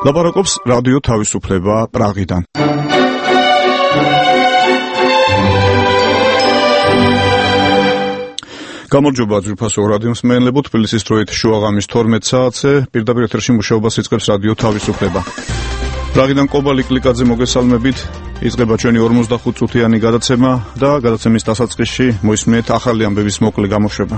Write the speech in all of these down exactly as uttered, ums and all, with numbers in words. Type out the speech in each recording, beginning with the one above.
ლაპარაკობს რადიო თავისუფლება პრაღიდან. გამარჯობა ძვირფასო რადიო მსმენელებო, თბილისის დროით შუაღამის თორმეტ საათზე პირდაპირ ეთერში მუშაობას იწყებს რადიო თავისუფლება. პრაღიდან კობალი კლიკაძე მოგესალმებით. იწყება ჩვენი ორმოცდახუთ წუთიანი გადაცემა და გადაცემის დასაწყისში მოისმენთ ახალი ამბების მოკლე გამოშვება.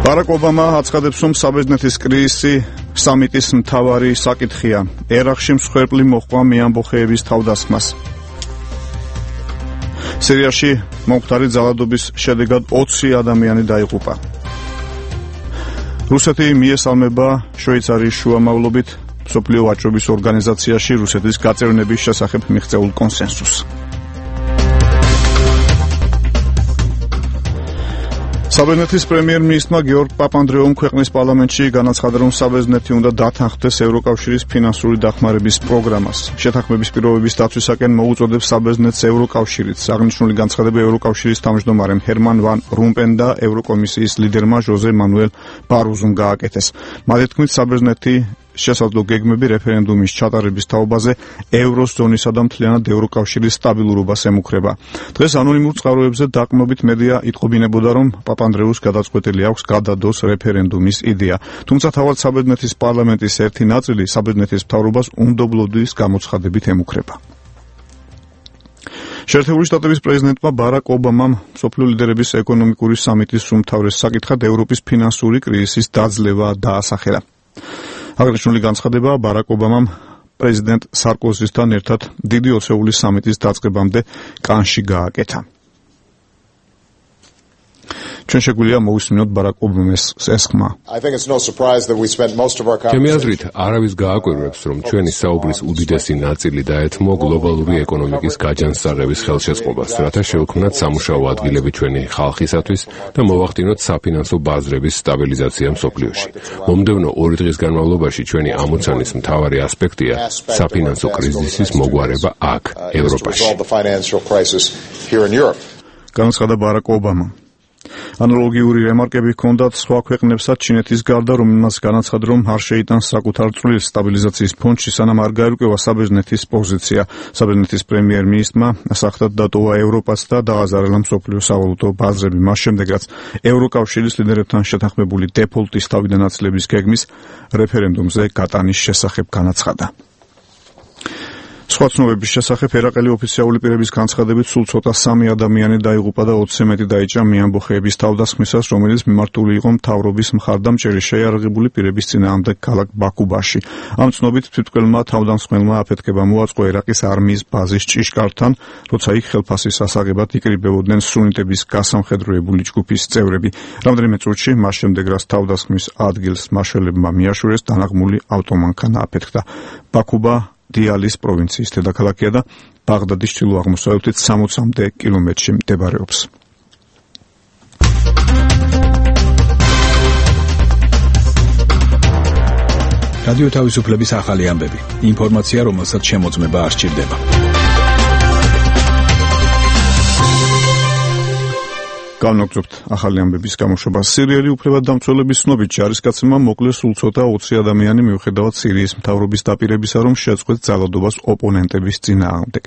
ბარაკ ობამა აცხადებს, რომ საბერძნეთის კრიზისი სამიტის მთავარი საკითხია. ერაყში მსხვერპლი მოჰყვა მეამბოხეების თავდასხმას. სირიაში მომხდარი ძალადობის შედეგად ოცი ადამიანი დაიღუპა. რუსეთი მიესალმება შვეიცარიის შუამავლობით მსოფლიო ვაჭრობის ორგანიზაციაში რუსეთის გაწევრიანების შესახებ მიღწეულ კონსენსუსს. საბერძნეთის პრემიერ-მინისტრმა გიორგ პაპანდრეომ ქვეყნის პარლამენტში განაცხადა, რომ საბერძნეთი უნდა დათანხმდეს ევროკავშირის ფინანსური დახმარების პროგრამას. შეთანხმების პირობების დაცვისაკენ მოუწოდებს საბერძნეთს ევროკავშირიც. აღნიშნული განცხადება ევროკავშირის თავმჯდომარემ ჰერმან ვან რომპენ და ევროკომისიის ლიდერმა ჟოზე მანუელ ბაროზომ გააკეთეს. მათ თქმით, საბერძნეთი შესაძლო გეგმები რეფერენდუმის ჩატარების თაობაზე ევროზონისა და მთლიანად ევროკავშირის სტაბილურობას ემუქრება. დღეს ანონიმურ წყაროებზე დაყრდნობით მედია იტყობინებოდა, რომ პაპანდრეუს გადაწყვეტილი აქვს გადადოს რეფერენდუმის იდეა. თუმცა თავად საბერძნეთის პარლამენტის ერთი ნაწილი საბერძნეთის მთავრობას უნდობლობის გამოცხადებით ემუქრება. შეერთებული შტატების პრეზიდენტმა ბარაკ ობამამ მსოფლიო ლიდერების ეკონომიკური სამიტის უმთავრეს საკითხად ევროპის ფინანსური კრიზისის დაძლევა დაასახელა. აღნიშნული განცხადება ბარაკ ობამამ პრეზიდენტ სარკოზისთან ერთად დიდი ოცეული სამიტის დაწყებამდე კანში გააკეთა. ჩვენ შეგვიძლია მოვისმინოთ ბარაკ ობამის ეს ხმა. ჩემი აზრით, არავის გააკვირვებს, რომ ჩვენი საუბრის უდიდესი ნაწილი დაეთმო გლობალური ეკონომიკის გაჯანსაღების ხელშეწყობას, რათა შევქმნათ სამუშაო ადგილები ჩვენი ხალხისათვის და მოვახდინოთ საფინანსო ბაზრების სტაბილიზაცია მსოფლიოში. მომდევნო ორი დღის განმავლობაში ჩვენი ამოცანის მთავარი ასპექტია საფინანსო კრიზისის მოგვარება აქ, ევროპაში. განაცხადა ბარაკ ობამა. ანალოგიური რემარკები ჰქონდათ სხვა ქვეყნებსაც ჩინეთის გარდა, რომელმაც განაცხადა, რომ არ შეიტანს საკუთარ წვლილს სტაბილიზაციის ფონდში, სანამ არ გაერკვევა საბერძნეთის პოზიცია. საბერძნეთის პრემიერ-მინისტრმა სახთად დატოვა ევროპას და დააზარალა მსოფლიო სავალუტო ბაზრები. მას შემდეგ, რაც ევროკავშირის ლიდერებთან შეთანხმებული დეფოლტის თავიდან აცილების გეგმის რეფერენდუმზე გატანის შესახებ განაცხადა. სხვა ცნობების შესახებ ერაყელი ოფიციალური პირების განცხადებით სულ ცოტა სამი ადამიანი დაიღუპა და ოცზე მეტი დაიჭრა მეამბოხეების თავდასხმისას, რომელიც მიმართული იყო მთავრობის მხარდამჭერი შეიარაღებული პირების წინააღმდეგ ქალაქ ბაქუბაში. ამ ცნობით თვითმკვლელმა თავდამსხმელმა აფეთქება მოაწყო ერაყის არმიის ბაზის ჭიშკართან, როცა იქ ხელფასის ასაღებად იკრიბებოდნენ სუნიტების გასამხედროებული ჯგუფის წევრები. რამდენიმე წუთში მას შემდეგ, რაც თავდასხმის ადგილს მაშველებმა მიაშურეს, დანაღმული ავტომანქანა აფეთქდა. ბაქუბა დიალის პროვინციის დედაქალაქია და ბაღდადის ჩრდილო-აღმოსავლეთით სამოცამდე კილომეტრში მდებარეობს. რადიო თავისუფლების ახალი ამბები. ინფორმაცია, რომელსაც შემოწმება არ სჭირდება. განვაგრძობთ ახალი ამბების გამოშვებას. სირიელი უფლებადდამცველების ცნობით ჯარისკაცებმა მოკლეს სულ ცოტა ოცი ადამიანი, მიუხედავად სირიის მთავრობის დაპირებისა, რომ შეაწყვეტს ძალადობას ოპონენტების წინააღმდეგ.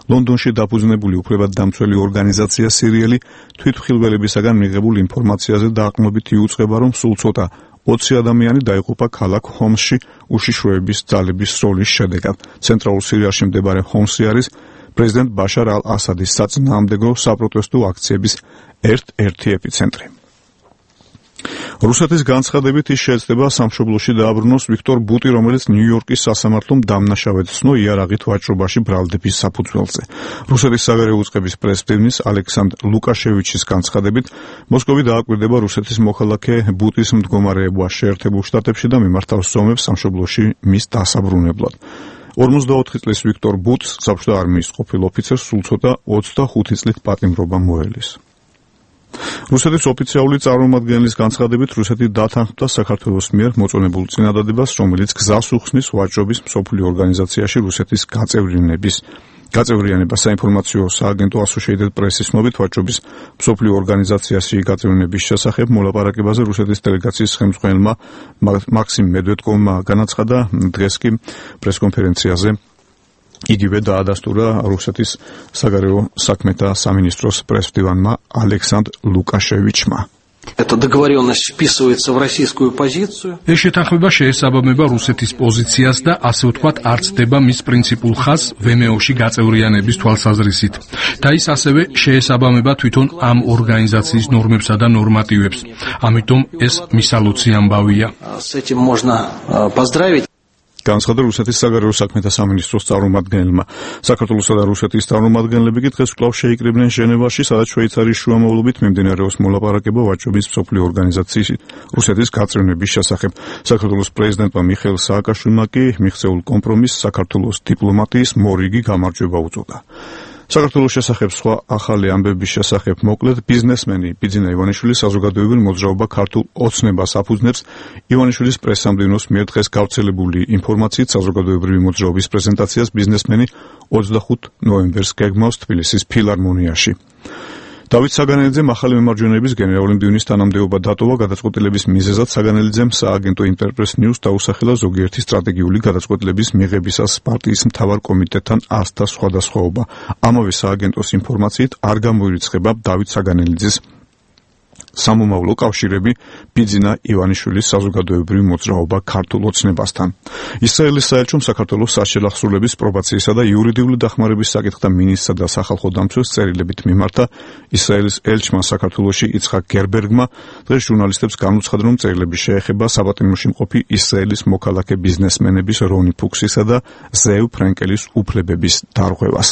ლონდონში დაფუძნებული უფლებადდამცველი ორგანიზაცია სირიელი თვითმხილველებისაგან მიღებულ ინფორმაციაზე დაყრდნობით იუწყება, რომ სულ ცოტა ოცი ადამიანი დაიღუპა ქალაქ ჰომსში უშიშროების ძალების სროლის შედეგად. ცენტრალურ სირიაში მდებარე ჰომსი არის პრეზიდენტ ბაშარ ალ-ასადის საწინააღმდეგო საპროტესტო აქციების ერთ-ერთი ეპიცენტრი. რუსეთის განცხადებით ის შეეცდება სამშობლოში დააბრუნოს ვიქტორ ბუტი, რომელიც ნიუ-იორკის სასამართლომ დამნაშავედ ცნო იარაღით ვაჭრობაში ბრალდების საფუძველზე. რუსეთის საგარეო უწყების პრესპრემიის ალექსანდრ ლუკაშევიჩის განცხადებით, მოსკოვი დააკვირდება რუსეთის მოქალაქე ბუტის მდგომარეობა შეერთებულ შტატებში და მიმართავს ზომებს სამშობლოში მის დასაბრუნებლად. ორმოცდაოთხი წლის ვიქტორ ბუტს საბჭოთა არმიის ყოფილ ოფიცერს სულ ცოტა ოცდახუთი წლით პატიმრობა მოელის. რუსეთის ოფიციალური წარმომადგენლის განცხადებით, რუსეთი დათანხმდა საქართველოს მიერ მოწონებულ წინადადებას, რომელიც გზას უხსნის ვაჭრობის მსოფლიო ორგანიზაციაში რუსეთის გაწევრიანების გაწევრიანება საინფორმაციო სააგენტო Associated Press-ის ცნობით ვაჭრობის მსოფლიო ორგანიზაციაში გაწევრიანების შესახებ მოლაპარაკებაზე რუსეთის დელეგაციის ხელმძღვანელმა მაქსიმ მედვედკოვმა განაცხადა. დღეს კი პრესკონფერენციაზე იგივე დაადასტურა რუსეთის საგარეო საქმეთა სამინისტროს პრესმდივანმა ალექსანდრ ლუკაშევიჩმა. Эта договоренность вписывается в российскую позицию. ეს შეთანხმება შეესაბამება რუსეთის პოზიციას და ასე ვთქვათ არ ცდება მის პრინციპულ ხაზს ვმო-ში გაწევრიანების თვალსაზრისით. და ის ასევე შეესაბამება თვითონ ამ ორგანიზაციის ნორმებსა და ნორმატივებს. ამიტომ ეს მისალოცი ამბავია. С этим можно поздравить. განაცხადა რუსეთის საგარეო საქმეთა სამინისტროს წარმომადგენელმა. საქართველოსა და რუსეთის წარმომადგენლები კი დღეს კვლავ შეიკრიბნენ ჟენევაში, სადაც შვეიცარიის შუამავლობით მიმდინარეობს მოლაპარაკება ვაჭრობის მსოფლიო ორგანიზაციის რუსეთის გაწევრიანების შესახებ. საქართველოს პრეზიდენტმა მიხეილ სააკაშვილმა კი მიღწეულ კომპრომისს საქართველოს დიპლომატიის მორიგი გამარჯვება უწოდა. საქართველოს შესახებ სხვა ახალი ამბების შესახებ მოკლედ ბიზნესმენი ბიძინა ივანიშვილი საზოგადოებრივ მოძრაობა ქართულ ოცნებას აფუძნებს. ივანიშვილის პრესსამდივნოს მიერ დღეს გავრცელებული ინფორმაციით საზოგადოებრივი მოძრაობის პრეზენტაციას ბიზნესმენი ოცდახუთი ნოემბერს გეგმავს თბილისის ფილარმონიაში. დავით საგანელიძემ ახალი მემარჯვენეების გენერალური მდივნის თანამდებობა დატოვა. გადაწყვეტილების მიზეზად საგანელიძემ სააგენტო ინტერპრეს ნიუს დაუსახელა ზოგიერთი სტრატეგიული გადაწყვეტილების მიღებისას პარტიის მთავარ კომიტეტთან ასთა სხვადასხვაობა. ამავე სააგენტოს ინფორმაციით არ გამოირიცხება დავით საგანელიძის სამომავლო კავშირები ბიძინა ივანიშვილის საზოგადოებრივი მოძრაობა ქართულ ოცნებასთან. ისრაელის საელჩომ საქართველოს საშელახსრულების პრობაციისა და იურიდიული დახმარების საკითხთა მინისტრსა და სახალხო დამცველს წერილებით მიმართა. ისრაელის ელჩმა საქართველოში იცხაკ გერბერგმა დღეს ჟურნალისტებს განუცხადა, რომ წერილები შეეხება საპატიმროში მყოფი ისრაელის მოქალაქე ბიზნესმენების რონი ფუქსისა და ზევ ფრენკელის უფლებების დარღვევას.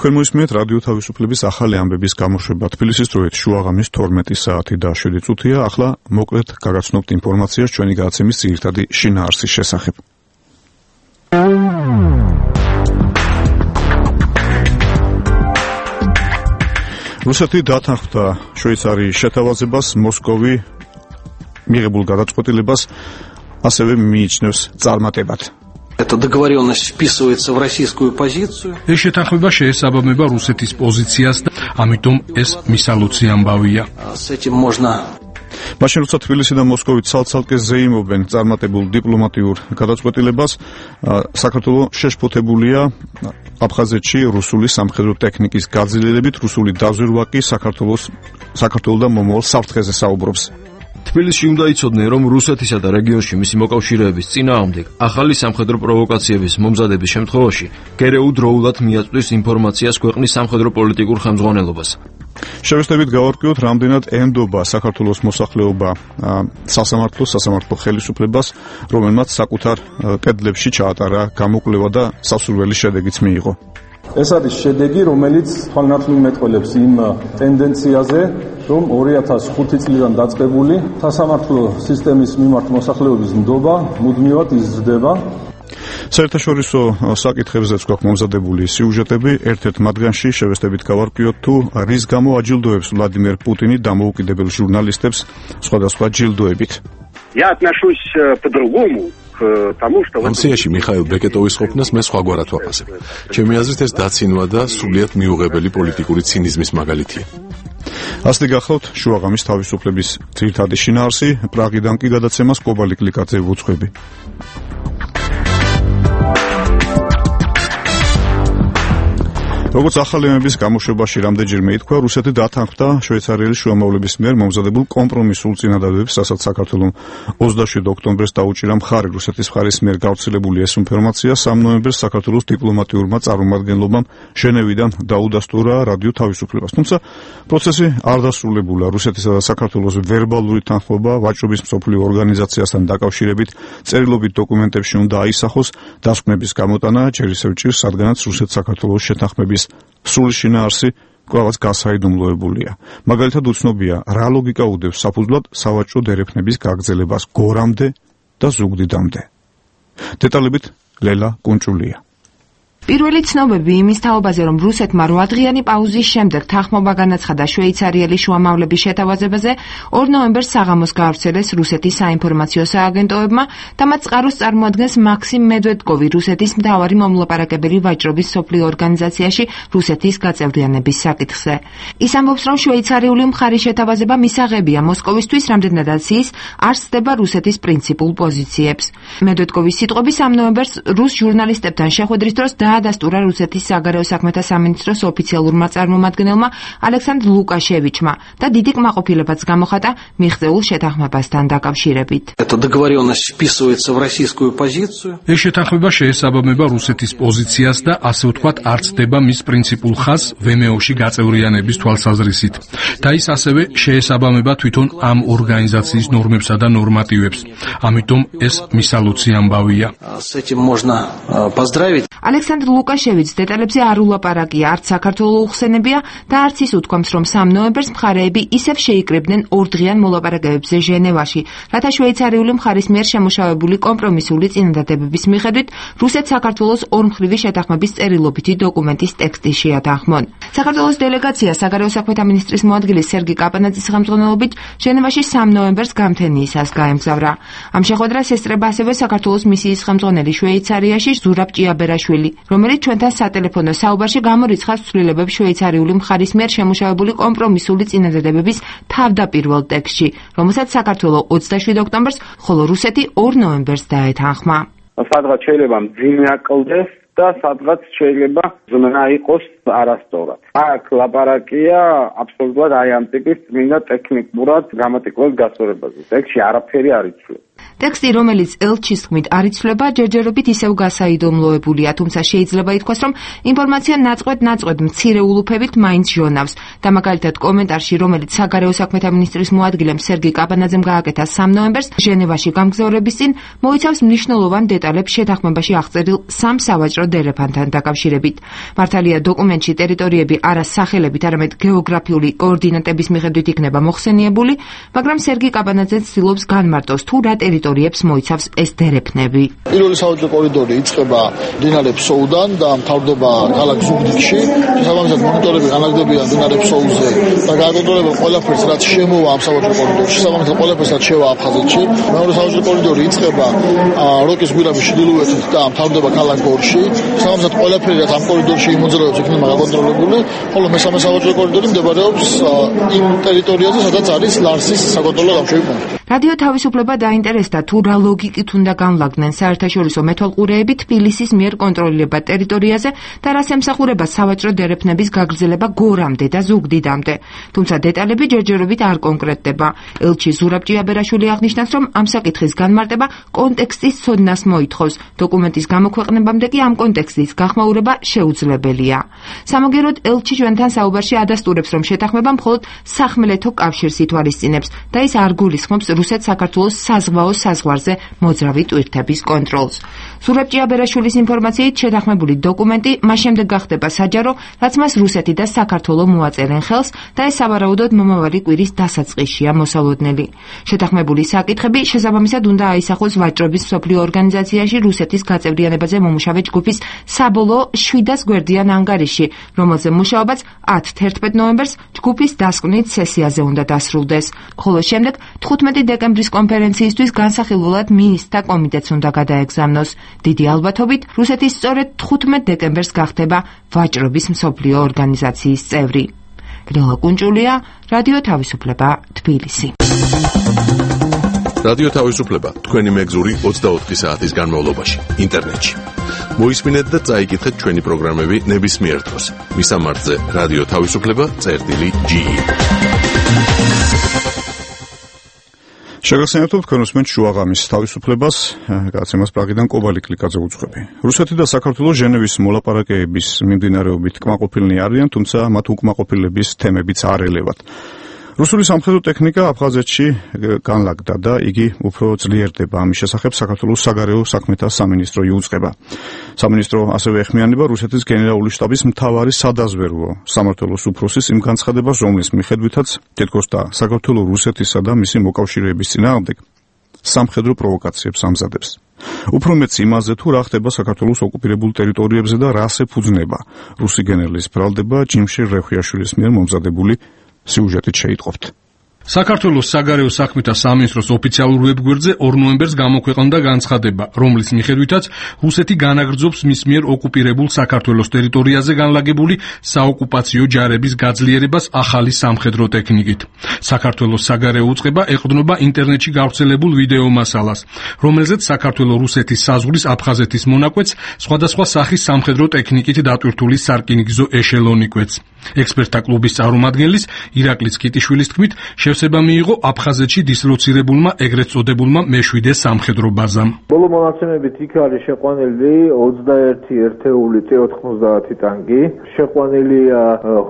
თქვენ მოისმინეთ რადიო თავისუფლების ახალი ამბების გამოშვება. თბილისის დროით შუაღამის თორმეტი საათი და შვიდი წუთია. ახლა მოკლედ გაგაცნობთ ინფორმაციას ჩვენი გადაცემის ძირითადი შინაარსის შესახებ. რუსეთი დათანხმდა შვეიცარიის შეთავაზებას, მოსკოვი მიღებულ გადაწყვეტილებას ასევე მიიჩნევს წარმატებად. Эта договоренность вписывается в российскую позицию. ეს შეთანხმება შეესაბამება რუსეთის პოზიციას და ამიტომ ეს მისალოცი ამბავია. С этим можно მაშინ როცა თბილისი და მოსკოვი ცალ-ცალკე ზეიმობენ წარმატებულ დიპლომატიურ გადაწყვეტილებას, საქართველო შეშფოთებულია აფხაზეთში რუსული სამხედრო ტექნიკის გაძლიერებით. რუსული დაზვერვა კი საქართველოს საქართველოს და მომავალ საფრთხეზე საუბრობს. თბილისში უნდა იცოდნენ, რომ რუსეთისა და რეგიონში მისი მოკავშირეების წინააღმდეგ ახალი სამხედრო პროვოკაციების მომზადების შემთხვევაში გერეუ დროულად მიაწვდის ინფორმაციას ქვეყნის სამხედრო პოლიტიკურ ხელმძღვანელობას. შევეცდებით გავარკვიოთ, რამდენად ენდობა საქართველოს მოსახლეობა სასამართლოს სასამართლო ხელისუფლებას, რომელმაც საკუთარ კედლებში ჩაატარა გამოკვლევა და სასურველი შედეგიც მიიღო. ეს არის შედეგი, რომელიც თვალნათლივ მეტყველებს იმ ტენდენციაზე, რომ ორი ათას ხუთი წლიდან დაწყებული სასამართლო სისტემის მიმართ მოსახლეობის ნდობა მუდმივად იზრდება. საერთაშორისო საკითხებზეც გვაქვს მომზადებული სიუჟეტები. ერთ-ერთ მათგანში შევეცდებით გავარკვიოთ, თუ რის გამო აჯილდოებს ვლადიმერ პუტინი დამოუკიდებელ ჟურნალისტებს სხვადასხვა ჯილდოებით. Я отношусь по-другому. ამ სიაში მიხაილ ბეკეტოვის ყოფნას მე სხვაგვარად ვაფასებ. ჩემი აზრით ეს დაცინვა და სრულიად მიუღებელი პოლიტიკური ცინიზმის მაგალითია. ასეთი გახლავთ შუაღამის თავისუფლების ძირითადი შინაარსი. პრაღიდან კი გადაცემას კობალი კლიკაძე ვუძღვები. როგორც ახალი ამბების გამოშვებაში რამდენჯერმე ითქვა, რუსეთი დათანხმდა შვეიცარიის შუამავლების მიერ მომზადებულ კომპრომისულ წინადადებს, რასაც საქართველომ ოცდაშვიდი ოქტომბერს დაუჭირა მხარი. რუსეთის მხარის მიერ გავრცელებული ეს ინფორმაცია სამ ნოემბერს საქართველოს დიპლომატიურმა წარმომადგენლობამ ჟენევიდან დაუდასტურა რადიო თავისუფლებას. თუმცა პროცესი არ დასრულებულა. რუსეთისა და საქართველოს ვერბალური თანხმობა ვაჭრობის მსოფლიო ორგანიზაციასთან დაკავშირებით წერილობით დოკუმენტებში უნდა აისახოს. დასკვნების გამოტანა ჯერ ისევ ჭირს, რადგანაც რუსეთ-საქართველოს შეთანხმების სრული შინაარსი კვლავაც გასაიდუმლოებულია. მაგალითად უცნობია, რა ლოგიკა უდევს საფუძვლად სავაჭრო დერეფნების გაგრძელებას გორამდე და ზუგდიდამდე. დეტალებით ლელა კუნჭულია. პირველი ცნობები იმის თაობაზე, რომ რუსეთმა რვადღიანი პაუზის შემდეგ თანხმობა განაცხადა შვეიცარიელი შუამავლების შეთავაზებაზე, ორ ნოემბერს საღამოს გაავრცელეს რუსეთის საინფორმაციო სააგენტოებმა და მათ წყაროს წარმოადგენს მაქსიმ მედვედკოვი, რუსეთის მთავარი მომლაპარაკებელი ვაჭრობის სოფლიო ორგანიზაციაში რუსეთის გაწევრიანების საკითხზე. ის ამბობს, რომ შვეიცარიული მხარის შეთავაზება მისაღებია მოსკოვისთვის, რამდენადაც ის არ სცდება რუსეთის პრინციპულ პოზიციებს. მედვედკოვის სიტყვები სამ ნოემბერს რუს ჟურნალისტებთან შეხვედრის დროს დაადასტურა რუსეთის საგარეო საქმეთა სამინისტროს ოფიციალურმა წარმომადგენელმა ალექსანდრ ლუკაშევიჩმა და დიდი კმაყოფილებაც გამოხატა მიღწეულ შეთანხმებასთან დაკავშირებით. Эта договоренность вписывается в российскую позицию. ეს შეთანხმება შეესაბამება რუსეთის პოზიციას და ასე ვთქვათ არ ცდება მის პრინციპულ ხაზს ვემეოში გაწევრიანების თვალსაზრისით. და ის ასევე შეესაბამება თვითონ ამ ორგანიზაციის ნორმებსა და ნორმატივებს. ამიტომ ეს მისალოცი ამბავია. С этим можно поздравить. ალექსანდრ ლუკაშევიჩს დეტალებზე არ ულაპარაკია, არც საქართველო უხსენებია და არც ის უთქვამს, რომ სამ ნოემბერს მხარეები ისევ შეიკრიბნენ ორდღიან მოლაპარაკებებზე ჟენევაში, რათა შვეიცარიული მხარის მიერ შემუშავებული კომპრომისული წინადადებების მიხედვით რუსეთს საქართველოს ორმხრივი შეთანხმების წერილობითი დოკუმენტის ტექსტი შეათანხმონ. საქართველოს დელეგაცია საგარეო საქმეთა მინისტრის მოადგილის სერგი კაპანაძის ხელმძღვანელობით ჟენევაში სამ ნოემბერს გამთენიისას გაემგზავრა. ამ შეხვედრას ესწრება ასევე საქართველოს მისიის ხელმძღვანელი შვეიცარიაში ზურაბ ჭიაბერაშვილი, რომელიც ჩვენთან სატელეფონო საუბარში გამორიცხავს ცვლილებებს შვეიცარიული მხარის მიერ შემუშავებული კომპრომისული წინადადებების თავდაპირველ ტექსტში, რომელსაც საქართველო ოცდაშვიდ ოქტომბერს, ხოლო რუსეთი ორ ნოემბერს დაეთანხმა. სადღაც შეიძლება მძიმე აკლდეს და სადღაც შეიძლება ზმნა იყოს არასწორად. აქ ლაპარაკია აბსოლუტურად აი ამ ტიპის წმინდა ტექნიკურად გრამატიკულად გასწორებაზე. ტექსტში არაფერი არ იცვლება. ტექსტი, რომელიც ელჩის თქმით არ იცვლება, ჯერჯერობით ისევ გასაიდუმლოებულია, თუმცა შეიძლება ითქვას, რომ ინფორმაცია ნაწყვეტ-ნაწყვეტ მცირე ულუფებით მაინც ჟონავს და მაგალითად კომენტარში, რომელიც საგარეო საქმეთა მინისტრის მოადგილემ სერგი კაპანაძემ გააკეთა სამ ნოემბერს ჟენევაში გამგზავრების წინ, მოიცავს მნიშვნელოვან დეტალებს შეთანხმებაში აღწერილ სამ სავაჭრო დერეფანთან დაკავშირებით. მართალია დოკუმენტში ტერიტორიები არა სახელებით, არამედ გეოგრაფიული კოორდინატების მიხედვით იქნება მოხსენიებული, მაგრამ სერგი კაპანაძე ცდილობს განმარტოს თუ რა ტერიტორიებს მოიცავს ეს დერეფნები. პირველი სავაჭრო კორიდორი იწყება მდინარე ფსოუდან და მთავრდება ქალაქ ზუგდიდში. შესაბამისად მონიტორები განაგდებიან მდინარე ფსოუზე და გააკონტროლებენ ყველაფერს, რაც შემოვა ამ სავაჭრო კორიდორში. შესაბამისად ყველაფერს, რაც შევა აფხაზეთში. მეორე სავაჭრო კორიდორი იწყება როკის გვირაბის ჩრდილოეთით და მთავრდება ქალაქ გორში. შესაბამისად ყველაფერი, რაც ამ კორიდორში იმოძრაობს, იქნება გაკონტროლებული, ხოლო მესამე სავაჭრო კორიდორი მდებარეობს იმ ტერიტორიაზე, სადაც არის ლარსის საკონტროლო გამშვები პუნქტი. რადიო თავისუფლება დაინტერესდა თუ რა ლოგიკით უნდა განლაგდნენ საერთაშორისო მეთვალყურეები თბილისის მიერ კონტროლებად ტერიტორიაზე და რას ემსახურება სავაჭრო დერეფნების გაგრძელება გორამდე და ზუგდიდამდე. თუმცა დეტალები ჯერჯერობით არ კონკრეტდება. ელჩი ზურაბ ჭიაბერაშვილი აღნიშნავს, რომ ამ საკითხის განმარტება კონტექსტის ცოდნას მოითხოვს. დოკუმენტის გამოქვეყნებამდე კი ამ კონტექსტის გახმაურება შეუძლებელია. სამაგეროდ ელჩი ჩვენთან საუბარში ადასტურებს, რომ შეთანხმება მხოლოდ სახმელეთო კავშირს ითვალისწინებს და ის არ გულისხმობს რუსეთ საქართველოს საზღვაო საზღვარზე მოძრავი ტვირთების კონტროლს. ზურაბ ჭიაბერაშვილის ინფორმაციით შეთანხმებული დოკუმენტი მას შემდეგ გახდება საჯარო, რაც მას რუსეთი და საქართველო მოაწერენ ხელს და ეს სავარაუდოდ მომავალი კვირის დასაწყისშია მოსალოდნელი. შეთანხმებული საკითხები შესაბამისად უნდა აისახოს ვაჭრობის მსოფლიო ორგანიზაციაში რუსეთის გაწევრიანებაზე მომუშავე ჯგუფის საბოლოო შვიდას გვერდიან ანგარიში, რომელზე მუშაობაც ათი ნოემბერს ჯგუფის დასკვნით სესიაზე უნდა დასრულდეს, ხოლო შემდეგ თხუთმეტი დეკემბრის კონფერენციისთვის განსახილველად მინისტრთა კომიტეტს უნდა გადაეგზავნოს. დიდი ალბათობით რუსეთის სწორედ თხუთმეტ დეკემბერს გახდება ვაჭრობის მსოფლიო ორგანიზაციის წევრი. ლელა კუნჭულია, რადიო თავისუფლება, თბილისი. რადიო თავისუფლება თქვენი მეგზური ოცდაოთხი საათის განმავლობაში ინტერნეტში. მოისმინეთ და წაიკითხეთ ჩვენი პროგრამები ნებისმიერ დროს. მისამართზე რადიო თავისუფლება წერტილი ჯი. შეგახსენებთ თქვენ უსმენთ შუაღამის თავისუფლებას, გაცემას პრაღიდან კობალი კლიკაძე უძღვები. რუსეთი და საქართველო ჟენევის მოლაპარაკებების მიმდინარეობით კმაყოფილნი არიან, თუმცა მათ უკმაყოფილების თემებიც არ ელევათ. რუსული სამხედრო ტექნიკა აფხაზეთში განლაგდა და იგი უფრო ძლიერდება. ამის შესახებ საქართველოს საგარეო საქმეთა სამინისტრო იუწყება. სამინისტრო ასევე ეხმიანება რუსეთის გენერალური შტაბის მთავარი სადაზვერვო სამმართველოს უფროსის იმ განცხადებას, რომლის მიხედვითაც თითქოს და საქართველო რუსეთისა და მისი მოკავშირეების წინააღმდეგ სამხედრო პროვოკაციებს ამზადებს. უფრო მეც იმაზე, თუ რა ხდება საქართველოს ოკუპირებულ ტერიტორიებზე და რას ეფუძნება რუსი გენერლის ბრალდება ჯიმშე რეხვიაშვილის მიერ მომზადებული სიუჟეტით შეიტყობთ. საქართველოს საგარეო საქმეთა სამინისტროს ოფიციალურ ვებგვერდზე ორ ნოემბერს გამოქვეყნდა განცხადება, რომლის მიხედვითაც რუსეთი განაგრძობს მის მიერ ოკუპირებულ საქართველოს ტერიტორიაზე განლაგებული საოკუპაციო ჯარების გაძლიერებას ახალი სამხედრო ტექნიკით. საქართველოს საგარეო უწყება ეყრდნობა ინტერნეტში გავრცელებულ ვიდეო მასალას, რომელზეც საქართველოს რუსეთის საზღვრის აფხაზეთის მონაკვეთს სხვადასხვა სახის სამხედრო ტექნიკით დატვირთული სარკინიგზო ეშელონი კვეთს. ექსპერტთა კლუბის წარმომადგენლის ირაკლი კიტიშვილის თქმით, შევსება მიიღო აფხაზეთში დისლოცირებულმა ეგრეთ წოდებულმა მეშვიდე სამხედრო ბაზამ. ბოლო მონაცემებით იქ არის შეყვანილი ოცდაერთი ერთეული ტე ოთხმოცდაათი ტანკი, შეყვანილია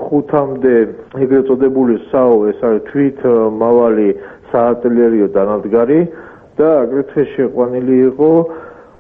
ხუთამდე ეგრეთ წოდებული საო, ეს არის თვით მავალი საარტილერიო დანადგარი და აგრეთვე შეყვანილი იყო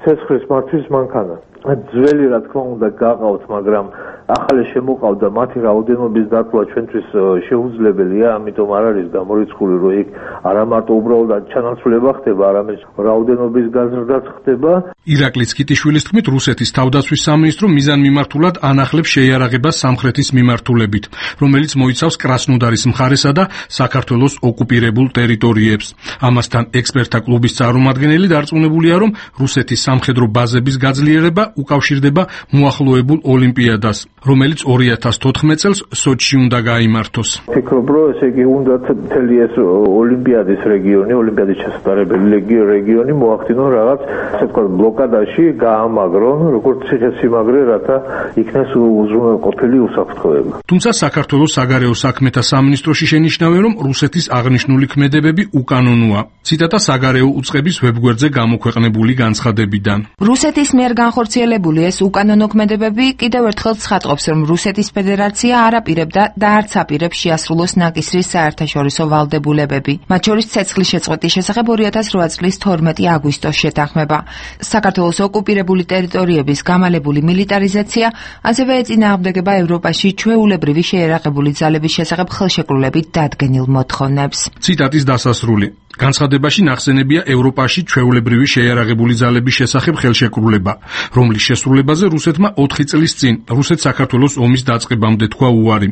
ცეცხლის მართვის მანქანა. ძველი რა თქმა უნდა გაყავთ, მაგრამ ახალი შემოყავდა, მათი რაოდენობის დაკლა ჩვენთვის შეუძლებელია, ამიტომ არ არის გამორიცხული, რომ იქ არა მარტო უბრალოდ ჩანაცვლება ხდება, არამედ რაოდენობის გაზრდაც ხდება. ირაკლი კიტიშვილის თქმით, რუსეთის თავდაცვის სამინისტრო მიზანმიმართულად ანახლებს შეიარაღებას სამხრეთის მიმართულებით, რომელიც მოიცავს კრასნოდარის მხარესა და საქართველოს ოკუპირებულ ტერიტორიებს. ამასთან ექსპერტთა კლუბის წარმომადგენელი დარწმუნებულია, რომ რუსეთის სამხედრო ბაზების გაძლიერება უკავშირდება მოახლოებულ ოლიმპიადას, რომელიც ორი ათას თოთხმეტ წელს სოჩში უნდა გაიმართოს. ფიქრობ, რომ ესე იგი უნდა მთელი ეს ოლიმპიადის რეგიონი, ოლიმპიადის შესაძლებელი რეგიონი მოახდინონ რაღაც, ასე ვთქვათ, ბლოკადაში, გაამაგრონ, როგორც ციხესიმაგრე, რათა იქნეს უზრუნველყოფილი უსაფრთხოება. თუმცა საქართველოს საგარეო საქმეთა სამინისტროში შენიშნავენ, რომ რუსეთის აღნიშნული ქმედებები უკანონოა. ციტატა საგარეო უწყების ვებგვერდზე გამოქვეყნებული განცხადებიდან. რუსეთის მიერ განხორციელებული ეს უკანონო ქმედებები კიდევ ერთხელ ცხადყოფს, რომ რუსეთის ფედერაცია არ აპირებდა და არც აპირებს შეასრულოს ნაკისრის საერთაშორისო ვალდებულებები. მათ შორის ცეცხლის შეწყვეტის შესახებ ორი ათას რვა წლის თორმეტი აგვისტოს შეთანხმება. საქართველოს ოკუპირებული ტერიტორიების გამალებული მილიტარიზაცია ასევე ეწინააღმდეგება ევროპაში ჩვეულებრივი შეიარაღებული ძალების შესახებ ხელშეკრულებით დადგენილ მოთხოვნებს. ციტატის დასასრული. განცხადებაში ნახსენებია ევროპაში ჩვეულებრივი შეიარაღებული ძალების შესახებ ხელშეკრულება, რომლის შესრულებაზე რუსეთმა ოთხი წლის წინ რუსეთ-საქართველოს ომის დაწყებამდე თქვა უარი.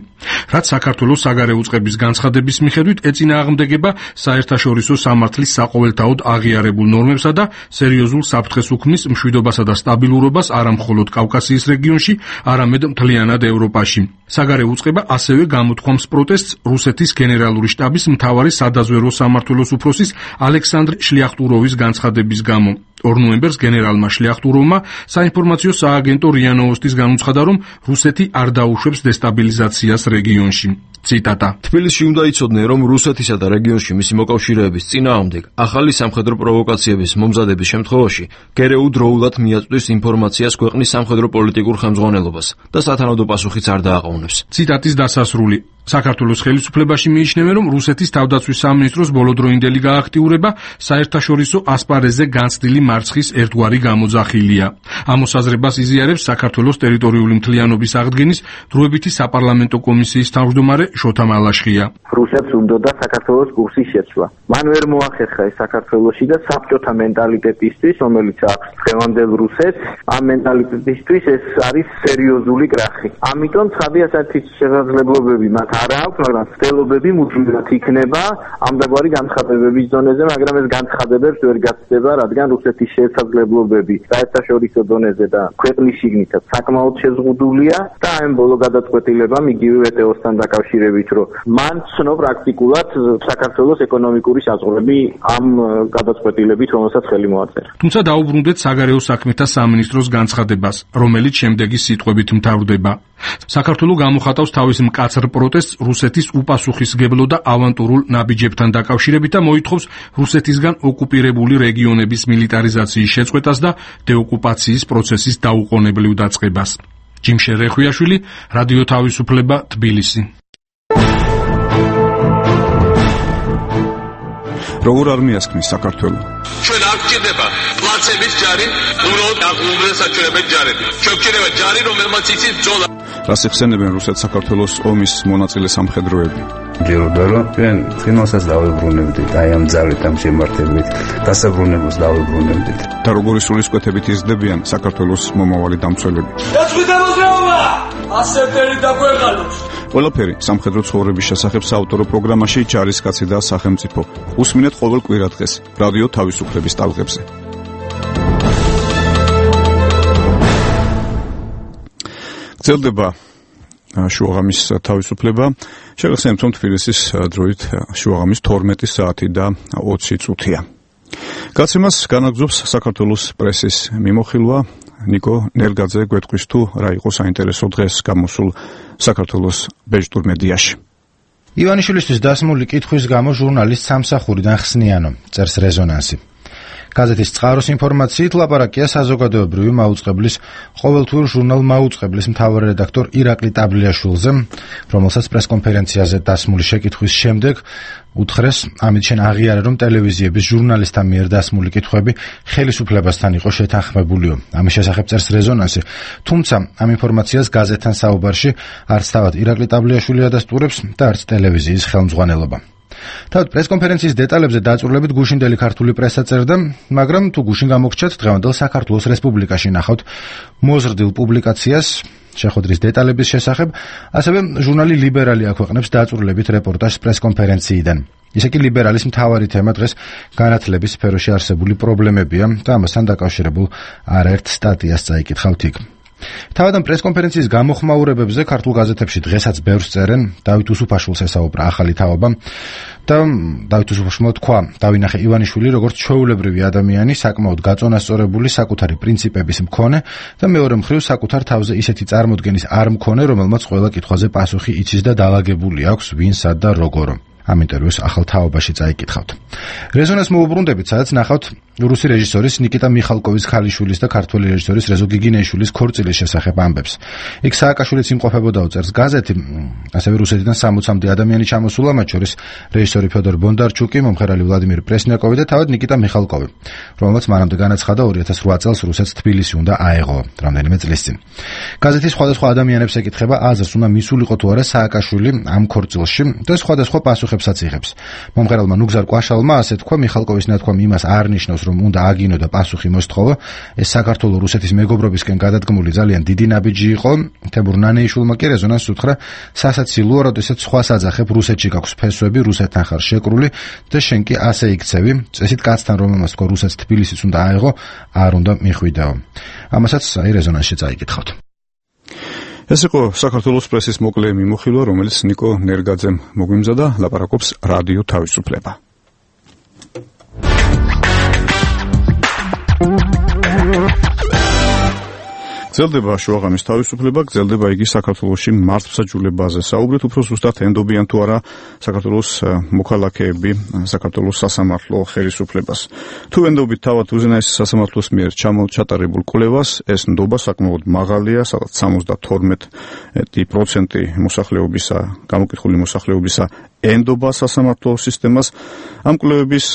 რაც საქართველოს საგარეო უწყების განცხადების მიხედვით ეწინააღმდეგება საერთაშორისო სამართლის საყოველთაოდ აღიარებულ ნორმებსა და სერიოზულ საფრთხეს უქმნის მშვიდობასა და სტაბილურობას არა მხოლოდ კავკასიის რეგიონში, არამედ მთლიანად ევროპაში. საგარეო უწყება ასევე გამოთქვამს პროტესტს რუსეთის გენერალური შტაბის მთავარი სადაზვერვო სამმართველოს უფროსის ალექსანდრ შლიახტუროვის განცხადების გამო. ორ ნოემბერს გენერალმა შლიახტუროვმა საინფორმაციო სააგენტო რია ნოვოსტის განუცხადა, რომ რუსეთი არ დაუშვებს დესტაბილიზაციას რეგიონში. ციტატა. თბილისში უნდა იცოდნენ, რომ რუსეთისა და რეგიონში მისი მოკავშირეების წინააღმდეგ ახალი სამხედრო პროვოკაციების მომზადების შემთხვევაში გერეუ დროულად მიაწვდის ინფორმაციას ქვეყნის სამხედრო პოლიტიკურ ხელმძღვანელობას და სათანადო პასუხიც არ დააყოვნებს. ციტატის დასასრული. საქართველოს ხელისუფლებაში მიიჩნევენ, რომ რუსეთის თავდაცვის სამინისტროს ბოლოდროინდელი გააქტიურება საერთაშორისო ასპარეზზე განცდილი მარცხის ერთგვარი გამოძახილია. ამ მოსაზრებას იზიარებს საქართველოს ტერიტორიული მთლიანობის აღდგენის დროებითი საპარლამენტო კომისიის თავმჯდომარე შოთა მალაშხია. რუსეთს უნდოდა საქართველოს კურსის შეცვლა. მან ვერ მოახერხა ეს საქართველოში და საბჭოთა მენტალიტეტისთვის, რომელიც აქვს დღევანდელ რუსეთს, ამ მენტალიტეტისთვის ეს არის სერიოზული კრახი. ამიტომ ცხადია საერთის შესაძლებლობები მათ არ აქვს, მაგრამ ცდილობები მუდმივად იქნება ამდაგვარი განცხადებების დონეზე, მაგრამ ეს განცხადებებს ვერ გაცდება, რადგან რუსეთის შესაძლებლობები საერთაშორისო დონეზე და ქვეყნის შიგნითაც საკმაოდ შეზღუდულია და ამ ბოლო გადაწყვეტილებამ იგივე ვეტეოსთან დაკავშირებით, რომ მან ცნო პრაქტიკულად საქართველოს ეკონომიკური საზღვრები ამ გადაწყვეტილებით, რომელსაც ხელი მოაწერა. თუმცა დაუბრუნდეთ საგარეო საქმეთა სამინისტროს განცხადებას, რომელიც შემდეგი სიტყვებით მთავრდება. საქართველო გამოხატავს თავის მკაცრ პროტესტს რუსეთის უპასუხისმგებლო და ავანტურულ ნაბიჯებთან დაკავშირებით და მოითხოვს რუსეთისგან ოკუპირებული რეგიონების მილიტარიზაციის შეწყვეტას და დეოკუპაციის პროცესის დაუყოვნებლივ დაწყებას. ჯიმშე რეხვიაშვილი, რადიო თავისუფლება, თბილისი. როგორ არ მიასქმის საქართველო? ჩვენ არ გვჭირდება პლაცების ჯარი, უბრალოდ აღუდგენსაჩვენებელი ჯარები. ჩვენ გვჭირდება ჯარი, რომელმაც იცის ბრძოლა. რას ეხსენებენ რუსეთ-საქართველოს ომის მონაწილე სამხედროები? მჯეროდა რომ ჩვენ ფინანსას დავებრუნებდით აი ამ ძალით ამ შემართებით დასაბრუნებას დავებრუნებდით და როგორი სულისკვეთებით იზრდებიან საქართველოს მომავალი დამცველები დაწყვეტა მოძრაობა ასეთერი დაგვეღალოს ყველაფერი სამხედრო ცხოვრების შესახებ საავტორო პროგრამაში ჯარისკაცი და სახელმწიფო უსმინეთ ყოველ კვირადღეს რადიო თავისუფლების ტალღებზე გრძელდება შუაღამის თავისუფლება შეგახსენებთ რომ თბილისის დროით შუაღამის თორმეტი საათი და ოცი წუთია გაცემას განაგზობს საქართველოს პრესის მიმოხილვა ნიკო ნერგაძე გვეტყვის თუ რა იყო საინტერესო დღეს გამოსულ საქართველოს ბეჭდურ მედიაში ივანიშვილისთვის დასმული კითხვის გამო ჟურნალისტ სამსახურიდან ხსნიანო წერს რეზონანსი გაზეთის წყაროს ინფორმაციით ლაპარაკია საზოგადოებრივი მაუწყებლის ყოველთვიურ ჟურნალ მაუწყებლის მთავარი რედაქტორ ირაკლი ტაბლიაშვილზე, რომელსაც პრესკონფერენციაზე დასმული შეკითხვის შემდეგ უთხრეს, ამით შენ აღიარე რომ ტელევიზიების ჟურნალისტთა მიერ დასმული კითხვები ხელისუფლებასთან იყო შეთანხმებულიო. ამის შესახებ წერს რეზონანსი, თუმცა ამ ინფორმაციას გაზეთთან საუბარში არც თავად ირაკლი ტაბლიაშვილი ადასტურებს და არც ტელევიზიის ხელმძღვანელობა. თავად პრესკონფერენციის დეტალებზე დაწვრილებით გუშინდელი ქართული პრესა წერდა, მაგრამ თუ გუშინ გამოგჩათ დღევანდელ საქართველოს რესპუბლიკაში ნახავთ მოზრდილ პუბლიკაციას შეხვედრის დეტალების შესახებ, ასევე ჟურნალი ლიბერალი აქვეყნებს დაწვრილებით რეპორტაჟს პრესკონფერენციიდან. ისე კი ლიბერალის მთავარი თემა დღეს განათლების სფეროში არსებული პრობლემებია და ამასთან დაკავშირებულ არაერთ სტატიას წაიკითხავთ იქ. თავად ამ პრესკონფერენციის გამოხმაურებებზე ქართულ გაზეთებში დღესაც ბევრს წერენ, დავით უსუფაშვილს ესაუბრა ახალი თაობა და დავით უსუფაშვილმა თქვა, დავინახე ივანიშვილი როგორც ჩვეულებრივი ადამიანი, საკმაოდ გაწონასწორებული, საკუთარი პრინციპების მქონე და მეორე მხრივ საკუთარ თავზე ისეთი წარმოდგენის არ მქონე, რომელმაც ყველა კითხვაზე პასუხი იცის და დაალაგებული აქვს ვინ, სად და როგორ. ამ ინტერვიუს ახალ თაობაში წაიკითხავთ. რეზონანს მოუბრუნდებით, სადაც ნახავთ რუსი რეჟისორის ნიკიტა მიხალკოვის ქალიშვილის და ქართველი რეჟისორის რეზო გიგინეიშვილის ქორწილის შესახებ ამბებს. იქ სააკაშვილიც იმყოფებოდა წერს გაზეთი, ასევე რუსეთიდან სამოცამდე ადამიანი ჩამოსულა, მათ შორის რეჟისორი ფედორ ბონდარჩუკი, მომღერალი ვლადიმერ პრესნიაკოვი და თავად ნიკიტა მიხალკოვი, რომელმაც მანამდე განაცხადა ორი ათას რვა წელს რუსეთს თბილისი უნდა აეღო, რამდენიმე წლის წინ. გაზეთის სხვადასხვა ადამიანებს ეკითხება აზრს, უნდა მისულიყო თუ არა სააკაშვილი ამ ქორწილში და სხვადასხვა პასუხებსაც იღებს. მომღერალმა ნუგზარ კვაშალმა ასე თქვა, მიხალკოვის ნათქვამ იმას არ ნიშნავს, რომ უნდა აგინო და პასუხი მოსთხოვა. ეს საქართველოს რუსეთის მეგობრობისკენ გადადგმული ძალიან დიდი ნაბიჯი იყო. თემურ ნანეიშვილმა კი რეზონანსს უთხრა, სასაცილოა, როდესაც სხვას აძახებ, რუსეთში გაქვს ფესვები, რუსეთთან ხარ შეკრული და შენ კი ასე იქცევი. წესით კაცთან რომელმას თქვა რუსეთს თბილისიც უნდა აეღო, არ უნდა მიხვიდაო. ამასაც აი რეზონანსში წაიკითხავთ. ეს იყო საქართველოს პრესის მოკლე მიმოხილვა, რომელიც ნიკო ნერგაძემ მოგვიმზადა, ლაპარაკობს რადიო თავისუფლება. გრძელდება შუაღამის თავისუფლება, გრძელდება იგი საქართველოში მართლმსაჯულებაზე. საუბრით უფრო ზუსტად ენდობიან თუ არა საქართველოს მოქალაქეები საქართველოს სასამართლო ხელისუფლებას. თუ ენდობით თავად უზენაესი სასამართლოს მიერ ჩატარებულ კვლევას, ეს ნდობა საკმაოდ მაღალია, სადაც სამოცდათორმეტი პროცენტი მოსახლეობისა, გამოკითხული მოსახლეობისა ენდობა სასამართლო სისტემას. ამ კვლევების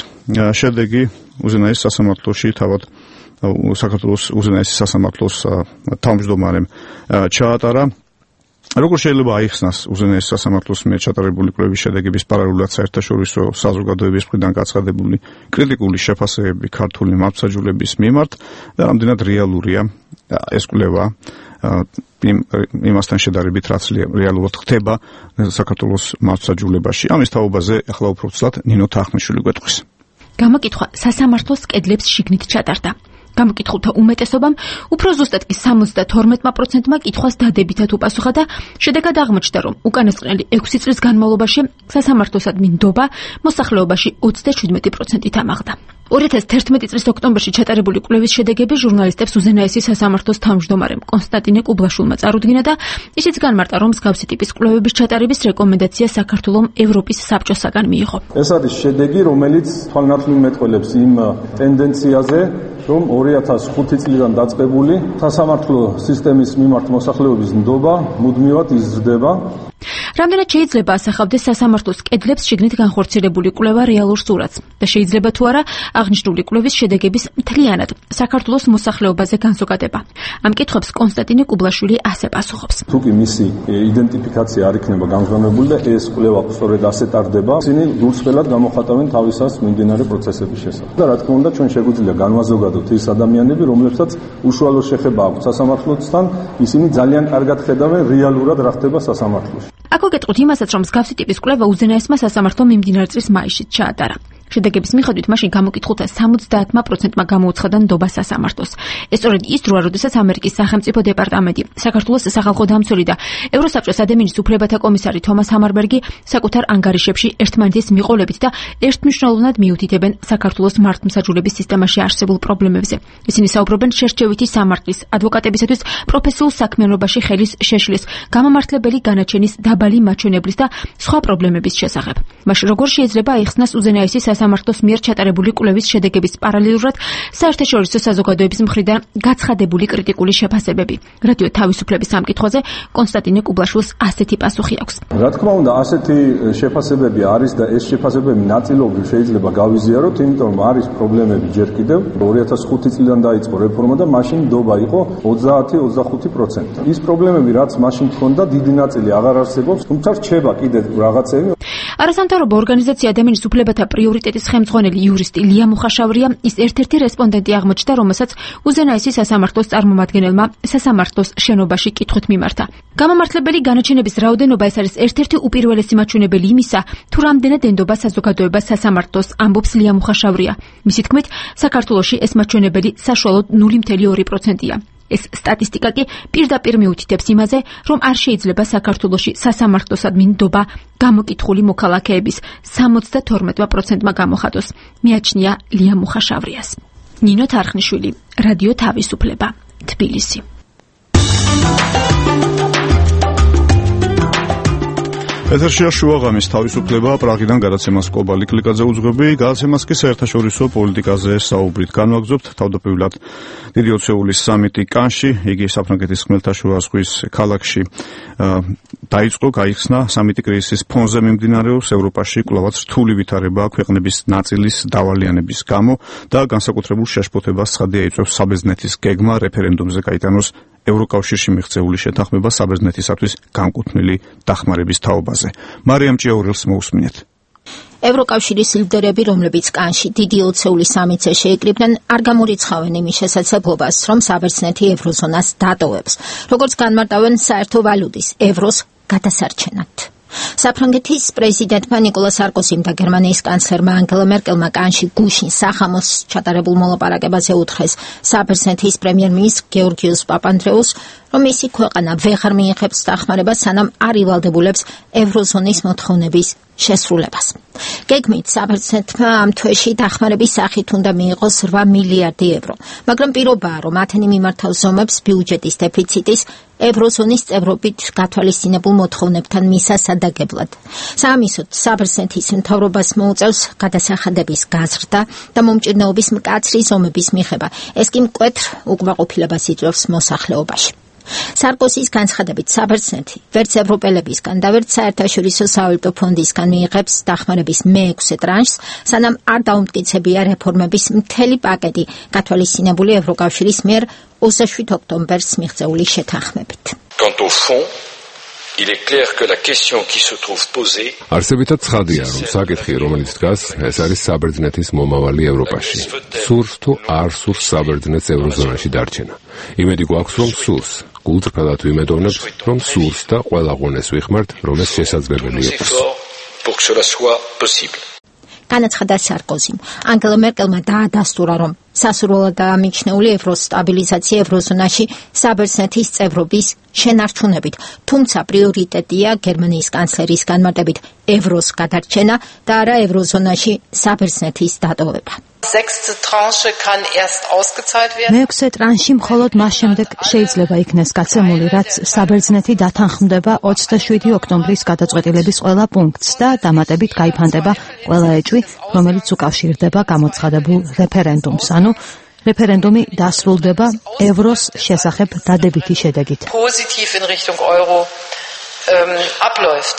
შედეგი უზენაეს სასამართლოში თავად საქართველოს უზენაესი სასამართლოს თავმჯდომარემ ჩაატარა. როგორ შეიძლება აიხსნას უზენაეს სასამართლოს მიერ ჩატარებული კვლევის შედეგების პარალელურად საერთაშორისო საზოგადოების მხრიდან გაცხადებული კრიტიკული შეფასებები ქართული მართლმსაჯულების მიმართ და რამდენად რეალურია ეს კვლევა იმასთან შედარებით, რაც რეალურად ხდება საქართველოს მართლმსაჯულებაში. ამის თაობაზე ახლა უფრო ცლად ნინო თახმიშვილი გვეტყვის. გამოკითხვა სასამართლოს კედლებს შიგნით ჩატარდა. გამოკითხულთა უმეტესობამ უფრო ზუსტად კი სამოცდათორმეტი პროცენტმა კითხვას დადებითად უპასუხა და შედეგად აღმოჩნდა, რომ უკანასკნელი ექვსი წლის განმავლობაში სასამართლოსადმი ნდობა მოსახლეობაში ოცდაშვიდმეტი პროცენტით ამაღლდა. ორი ათას თერთმეტი წლის ოქტომბერში ჩატარებული კვლევის შედეგები ჟურნალისტებს უზენაესი სასამართლოს თავმჯდომარემ კონსტანტინე კუბლაშვილმა წარუდგინა და ისიც განმარტა, რომ მსგავსი ტიპის კვლევების ჩატარების რეკომენდაცია საქართველოს ევროპის საბჭოსაგან მიიღო. ეს არის შედეგი, რომელიც თვალნათლივ მეტყველებს იმ ტენდენციაზე, რომ ორი ათას ხუთი წლიდან დაწყებული სასამართლო სისტემის მიმართ მოსახლეობის ნდობა მუდმივად იზრდება. რამდენად შეიძლება ასახავდეს სასამართლოს კედლებს შიგნით განხორციელებული კვლევა რეალურ სურათს და შეიძლება თუ არა აღნიშნული კვლევის შედეგების მთლიანად საქართველოს მოსახლეობაზე განზოგადება. ამ კითხვებს კონსტანტინე კუბლაშვილი ასე პასუხობს. თუ კი მისი იდენტიფიკაცია არ იქნება გამჟღავნებული და ეს კვლევა სწორედ ასე ტარდება, ისინი გულწრფელად გამოხატავენ თავისას მიმდინარე პროცესების შესახებ. და რა თქმა უნდა, ჩვენ შეგვიძლია განვაზოგადოთ ის ადამიანები, რომლებსაც უშუალო შეხება აქვთ სასამართლოსთან, ისინი ძალიან კარგად ხედავენ რეალურად რა ხდება სასამართლოში. აქ გეტყვით იმასაც, რომ მსგავსი ტიპის კვლევა უზენაესმა სასამართლო მიმდინარე წლის მაისში ჩაატარა. შედეგების მიხედვით მაშინ გამოკითხულთა სამოცდაათმა პროცენტმა გამოუცხადა ნდობა სასამართლოს. ეს სწორედ ის დროა, როდესაც ამერიკის სახელმწიფო დეპარტამენტი, საქართველოს სახალხო დამცველი და ევროსაბჭოს ადამიანის უფლებათა კომისარი თომას ჰამარბერგი საკუთარ ანგარიშებში ერთმანეთის მიყოლებით და ერთმნიშვნელოვნად მიუთითებენ საქართველოს მართლმსაჯულების სისტემაში არსებულ პრობლემებზე. ისინი საუბრობენ შერჩევითი სამართლის, ადვოკატებისათვის პროფესიულ საქმიანობაში ხელის შეშლის, გამამართლებელი განაჩენის დაბალი მაჩვენებლის და სხვა პრობლემების შესახებ. მაშინ როგორ შეიძლება აიხსნას უზენაესი სასამართლოს მიერ ჩატარებული კვლევის შედეგების პარალელურად საერთაშორისო საზოგადოების მხრიდან გაცხადებული კრიტიკული შეფასებები. რადიო თავისუფლების ამ კითხვაზე კონსტანტინე კუბლაშვილს ასეთი პასუხი აქვს. რა თქმა უნდა, ასეთი შეფასებები არის და ეს შეფასებები ნაწილობრივ შეიძლება გავიზიაროთ, იმიტომ რომ არის პრობლემები ჯერ კიდევ. ორი ათას ხუთი წლიდან დაიწყო რეფორმა და მაშინ ნდობა იყო ოცდაათი ოცდახუთი პროცენტი. ის პრობლემები, რაც მაშინ ჰქონდა, დიდი ნაწილი აღარ არსებობს, თუმცა რჩება კიდევ რაღაცები. არასამთავრობო ორგანიზაცია ადამიანის უფლებათა პრიორიტეტის ხელმძღვანელი იურისტი ლია მუხაშავრია ის ერთ-ერთი რესპონდენტი აღმოჩნდა, რომელსაც უზენაესი სასამართლოს წარმომადგენელმა სასამართლოს შენობაში კითხვით მიმართა. გამამართლებელი განაჩენების რაოდენობა ეს არის ერთ-ერთი უპირველესი მაჩვენებელი იმისა, თუ რამდენად ენდობა საზოგადოება სასამართლოს, ამბობს ლია მუხაშავრია. მისი თქმით, საქართველოში ეს მაჩვენებელი საშუალოდ ნული მცდე ორი პროცენტია. ეს სტატისტიკა კი პირდაპირ მიუთითებს იმაზე, რომ არ შეიძლება საქართველოში სასამართლოსადმი ნდობა გამოკითხული მოქალაქეების სამოცდათორმეტ პროცენტმა გამოხატოს. მიაჩნია ლია მუხაშავრიას. ნინო თარხნიშვილი, რადიო თავისუფლება, თბილისი. ეთერშია შუაღამის თავისუფლება, პრაღიდან გადაცემას კობალი კლიკაძე უძღვები, გადაცემას კი საერთაშორისო პოლიტიკაზე საუბრით განვაგრძობთ. თავდაპირველად დიდი ოცეულის სამიტი კანში, იგი საფრანგეთის ხმელთაშუა ზღვის ქალაქში დაიწყო, გაიხსნა. სამიტი კრიზისის ფონზე მიმდინარეობს, ევროპაში კვლავაც რთული ვითარება ქვეყნების ნაწილის დავალიანების გამო და განსაკუთრებულ შეშფოთებას ცხადია იწვევს საბერძნეთის გეგმა რეფერენდუმზე გაიტანოს ევროკავშირში მიღწეული შეთანხმება საბერძნეთისათვის განკუთვნილი დახმარების თაობაზე. მარიამ ჭიაურელს მოусმინეთ. ევროკავშირის ლიდერები, რომლებიც კანში დიდი ოცეულის სამიტზე შეიკრიბნენ, არ გამორიცხავენ იმის შესაძლებლობას, რომ საბერძნეთი ევროზონას დატოვებს, როგორც განმარტავენ საერთო ვალუტის ევროს გადასარჩენად. საფრანგეთის პრეზიდენტმა ნიკოლა სარკოზიმ და გერმანიის კანცლერმა ანგელა მერკელმა კანში გუშინ სახამოს ჩატარებულ მოლაპარაკებაზე უთხრეს საბერძნეთის პრემიერ-მინისტრ გეორგიოს პაპანდრეუს, რომ მისი ქვეყანა ვეღარ მიიღებს დახმარებას, სანამ არ ივალდებულებს ევროზონის მოთხოვნების შესრულებას. გეგმით საბერძნეთმა ამ თვეში დახმარების სახით უნდა მიიღოს რვა მილიარდი ევრო, მაგრამ პირობაა, რომ ათენი მიმართავს ზომებს ბიუჯეტის დეფიციტის ევროზონის წევრობით გათვალისწინებულ მოთხოვნებთან მისასადაგებლად. საამისოდ, საბერძნეთის მთავრობას მოუწევს გადასახადების გაზრდა და მომჭირნეობის მკაცრი ზომების მიღება. ეს კი მკვეთრ უკმაყოფილებას იწვევს მოსახლეობაში. სარკოზის განცხადებით, საბერძნეთი ვერც ევროპელებისგან და ვერც საერთაშორისო სავალუტო ფონდისგან მიიღებს დახმარების მეექვსე ტრანშს, სანამ არ დაუმტკიცებია რეფორმების მთელი პაკეტი, გათვალისწინებული ევროკავშირის მიერ ოცდაშვიდ ოქტომბერს მიღწეული შეთანხმებით. Quant au fond, il est clair que la question qui se trouve posée არსებითად ცხადია, რომ საკითხი, რომელიც დგას, ეს არის საბერძნეთის მომავალი ევროპაში. სურს თუ არ სურს საბერძნეთს ევროზონაში დარჩენა. იმედი გვაქვს, რომ სურს. გულწრფელად ვიმედოვნებ, რომ სურს და ყველა ღონეს ვიხმართ, რომ ეს შესაძლებელი იყოს. განაცხადა სარკოზიმ. ანგელა მერკელმა დაადასტურა, რომ სასურველადაა მიჩნეული ევროს სტაბილიზაცია ევროზონაში საბერძნეთის წევრობის შენარჩუნებით, თუმცა პრიორიტეტია გერმანიის კანცლერის განმარტებით ევროს გადარჩენა და არა ევროზონაში საბერძნეთის დატოვება. მეექვსე ტრანში მხოლოდ მას შემდეგ შეიძლება იქნეს გაცემული, რაც საბერძნეთი დათანხმდება ოცდაშვიდი ოქტომბრის გადაწყვეტილების ყველა პუნქტს და დამატებით გაიფანტება ყველა ეჭვი, რომელიც უკავშირდება გამოცხადებულ რეფერენდუმს. ანუ რეფერენდუმი დასრულდება ევროს შესახებ დადებითი შედეგით. abläuft.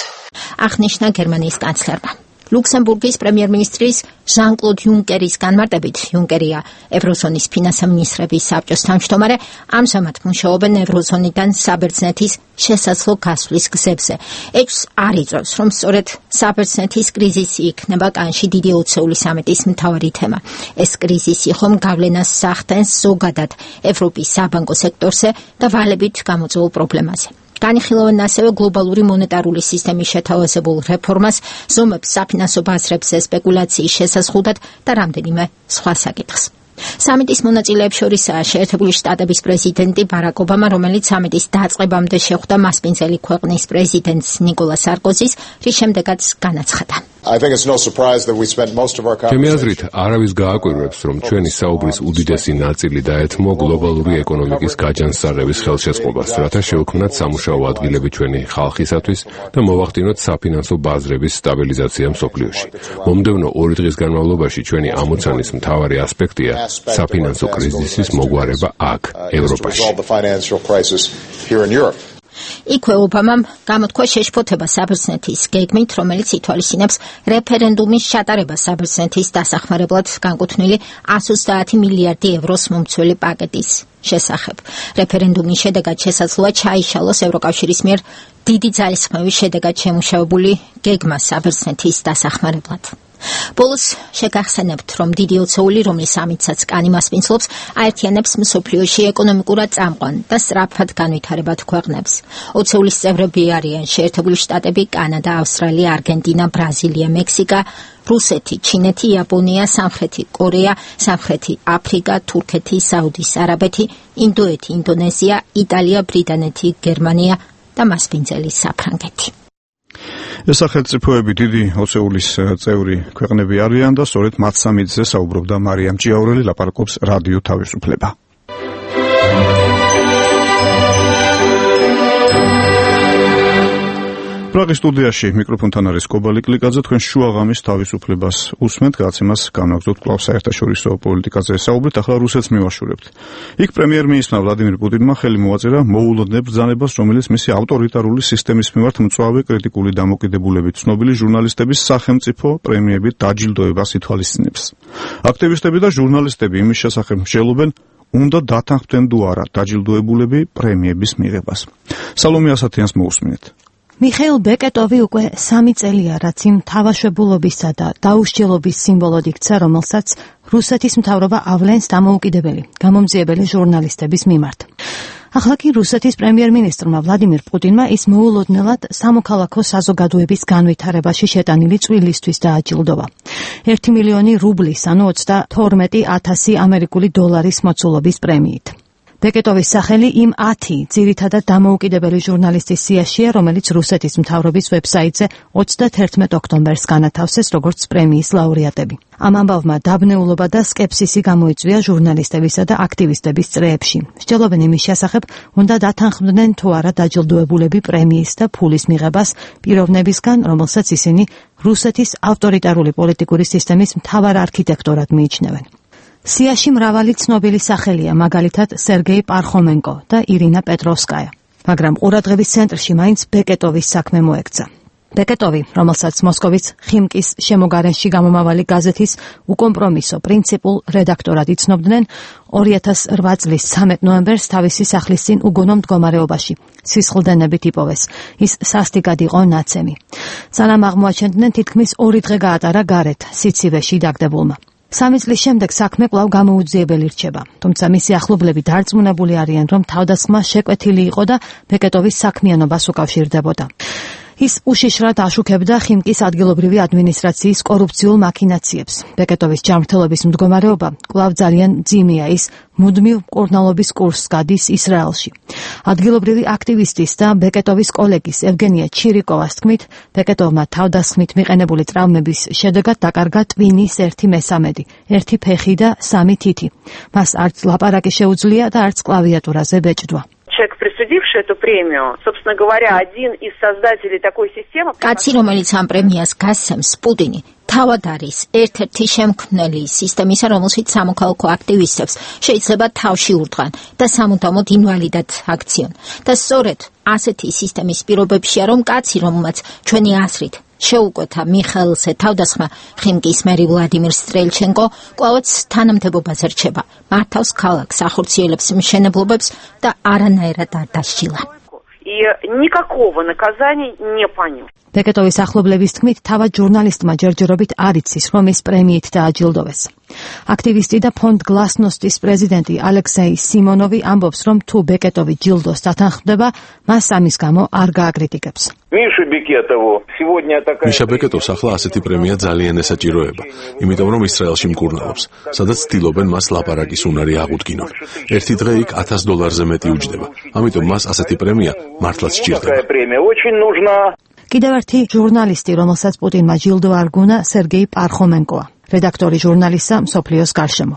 აღნიშნა გერმანიის კანცლერმა. ლუქსემბურგის პრემიერ-მინისტრის ჟან-კლოდ იუნკერის განმარტებით, იუნკერია ევროზონის ფინანსამინისტრების საბჭოს თავმჯდომარე, ამჟამად მუშაობენ ევროზონიდან საბერძნეთის შესაძლო გასვლის გზებზე. ეჭვს არ იწვევს, რომ სწორედ საბერძნეთის კრიზისი იქნება კანში დიდი ოცეული სამიტის მთავარი თემა. ეს კრიზისი ხომ გავლენას სახდენს ზოგადად ევროპის საბანკო სექტორზე და ვალებით გამოწვეულ პრობლემაზე. განიხილავენ ასევე გლობალური მონეტარული სისტემის შეთავაზებულ რეფორმას, ზომებს საფინანსო ბაზრებზე სპეკულაციის შესაზღუდად და რამდენიმე სხვა საკითხს. სამიტის მონაწილეებს შორისაა შეერთებული შტატების პრეზიდენტი ბარაკ ობამა, რომელიც სამიტის დაწყებამდე შეხვდა მასპინძელი ქვეყნის პრეზიდენტს ნიკოლა სარკოზის, რის შემდეგაც განაცხადა. ჩემი აზრით, არავის გააკვირვებს, რომ ჩვენი საუბრის უდიდესი ნაწილი დაეთმო გლობალური ეკონომიკის გაჯანსაღების ხელშეწყობას, რათა შევქმნათ სამუშაო ადგილები ჩვენი ხალხისათვის და მოვახდინოთ საფინანსო ბაზრების სტაბილიზაცია მსოფლიოში. მომდევნო ორი დღის განმავლობაში ჩვენი ამოცანის მთავარი ასპექტია საფინანსო კრიზისის მოგვარება აქ, ევროპაში. იქვე ობამამ გამოთქვა შეშფოთება საბერძნეთის გეგმით, რომელიც ითვალისწინებს რეფერენდუმის ჩატარებას საბერძნეთის დასახმარებლად განკუთვნილი εκατს ოცდაათი მილიარდი ევროს მომცველი პაკეტის შესახებ. რეფერენდუმის შედეგად შესაძლოა ჩაიშალოს ევროკავშირის მიერ დიდი ძალისხმევის შედეგად შემუშავებული გეგმა საბერძნეთის დასახმარებლად. ბოლოს შეგახსენებთ, რომ დიდი ოცეული, რომლის სამიტსაც კანი მასპინძლობს, აერთიანებს მსოფლიოში ეკონომიკურად წამყვან და სწრაფად განვითარებად ქვეყნებს. ოცეულის წევრები არიან შეერთებული შტატები, კანადა, ავსტრალია, არგენტინა, ბრაზილია, მექსიკა, რუსეთი, ჩინეთი, იაპონია, სამხრეთი კორეა, სამხრეთი აფრიკა, თურქეთი, საუდის არაბეთი, ინდოეთი, ინდონეზია, იტალია, ბრიტანეთი, გერმანია და მასპინძელი საფრანგეთი. ეს სახელმწიფოები დიდი ოცეულის წევრი ქვეყნები არიან და სწორედ მათ სამიტზე საუბრობდა მარიამ ჭიაურელი, ლაპარაკობს რადიო თავისუფლება. პრაღის სტუდიაში მიკროფონთან არის კობალი კლიკაძე, თქვენ შუაღამის თავისუფლებას უსმენთ, გადაცემას განაგრძობთ კვლავ საერთაშორისო პოლიტიკაზე საუბრით, ახლა რუსეთს მივაშურებთ. იქ პრემიერ-მინისტრმა ვლადიმირ პუტინმა ხელი მოაწერა მოულოდნელ ბრძანებას, რომელიც მისი ავტორიტარული სისტემის მიმართ მწვავე კრიტიკული დამოკიდებულებით ცნობილი ჟურნალისტების სახელმწიფო პრემიებით დაჯილდოებას ითვალისწინებს. აქტივისტები და ჟურნალისტები იმის შესახებ მსჯელობენ, უნდა დათანხმდნენ თუ არა დაჯილდოებულები პრემიების მიღებას. სალომე ასათიანს მოусმინეთ. მიხეილ ბეკეტოვი უკვე სამი წელია, რაც იმ თავაშვებულობისა და დაუსჯელობის სიმბოლოდ იქცა, რომელსაც რუსეთის მთავრობა ავლენს დამოუკიდებელი, გამომძიებელი ჟურნალისტების მიმართ. ახლა კი რუსეთის პრემიერ-მინისტრმა ვლადიმირ პუტინმა ის მოულოდნელად სამოქალაქო საზოგადოების განვითარებაში შეტანილი წვლილისთვის დააჯილდოვა. ერთი მილიონი რუბლის, ანუ ოცდათორმეტი ათასი ამერიკული დოლარის მოცულობის პრემიით. ბეკეტოვის სახელი იმ ათი ძირითადად დამოუკიდებელი ჟურნალისტის სიაშია, რომელიც რუსეთის მთავრობის ვებსაიტზე ოცდათერთმეტ ოქტომბერს განათავსეს როგორც პრემიის ლაურეატები. ამ ამბავმა დაბნეულობა და სკეპსისი გამოიწვია ჟურნალისტებისა და აქტივისტების წრეებში. მსჯელობენ იმის შესახებ, უნდა დათანხმდნენ თუ არა დაჯილდოებულები პრემიის და ფულის მიღებას პიროვნებისგან, რომელსაც ისინი რუსეთის ავტორიტარული პოლიტიკური სისტემის მთავარ არქიტექტორად მიიჩნევენ. სიაში მრავალი ცნობილი სახელია, მაგალითად სერგეი პარხომენკო და ირინა პეტროვსკაია, მაგრამ ყურადღების ცენტრში მაინც ბეკეტოვის საქმე მოექცა. ბეკეტოვი, რომელსაც მოსკოვის ხიმკის შემოგარენში გამომავალი გაზეთის უკომპრომისო პრინციპულ რედაქტორად იცნობდნენ, ორი ათას რვა წლის ცამეტ ნოემბერს თავისი სახლის წინ უგონო მდგომარეობაში სისხლდენებით იპოვეს. ის სასტიკად იყო ნაცემი. სანამ აღმოაჩენდნენ, თითქმის ორი დღე გაატარა გარეთ, სიცივეში დაგდებულმა. სამი წლის შემდეგ საქმე კვლავ გამოუძიებელი რჩება, თუმცა მისი ახლობლები დარწმუნებული არიან, რომ თავდასხმა შეკვეთილი იყო და ბეკეტოვის საქმიანობას უკავშირდებოდა. ის უშიშრად აშუქებდა ხიმკის ადგილობრივი ადმინისტრაციის კორუფციულ მაქინაციებს. ბეკეტოვის ჯანმრთელობის მდგომარეობა კვლავ ძალიან მძიმეა, ის მუდმივ მკურნალობის კურსს გადის ისრაელში. ადგილობრივი აქტივისტის და ბეკეტოვის კოლეგის ევგენია ჩირიკოვას თქმით, ბეკეტოვმა თავდასხმით მიყენებული ტრავმების შედეგად დაკარგა ტვინის ერთი მესამედი, ერთი ფეხი და სამი თითი. მას არც ლაპარაკი შეუძლია და არც კლავიატურაზე ბეჭდვა. Человек присудивший эту премию, собственно говоря, один из создателей такой системы. კაცი, რომელიც ამ პრემიას გასცემს, პუტინი, თავად არის ერთ-ერთი შემქმნელი სისტემისა, რომელშიც სამოქალაქო აქტივისტებს შეიძლება თავში ურტყან და სამუდამოდ ინვალიდად აქციონ. და სწორედ ასეთი სისტემის პირობებშია, რომ კაცი, რომელმაც ჩვენი აზრით შეუკვეთა მიხაილზე თავდასხმა ხიმკის მერი ვლადიმირ სტრელჩენკო, კვლავაც თანამდებობაზე რჩება, მართავს ქალაქს, ახორციელებს მშენებლობებს და არანაირად არ დასჯილა. И никакого наказания не понес. ბეკეტოვის ახლობლების თქმით, თავად ჟურნალისტმა ჯერჯერობით არ იცის, რომ ის პრემიით დააჯილდოვეს. აქტივისტი და ფონდ გლასნოსტის პრეზიდენტი ალექსეი სიმონოვი ამბობს, რომ თუ ბეკეტოვი ჯილდოს დათანხმდება, მას ამის გამო არ გააკრიტიკებს. მიშა ბეკეტოვს ახლა ასეთი პრემია ძალიან ესაჭიროება, იმიტომ რომ ისრაელში მკურნალობს, სადაც ცდილობენ მას ლაპარაკის უნარი აღუდგინონ. ერთი დღე იქ ათას დოლარზე მეტი უჯდება, ამიტომ მას ასეთი პრემია მართლაც სჭირდება. კიდევ ერთი ჟურნალისტი, რომელსაც პუტინმა ჯილდო არ გუნა, სერგეი პარხომენკოა, რედაქტორი ჟურნალისტსა მსოფლიოს გარშემო.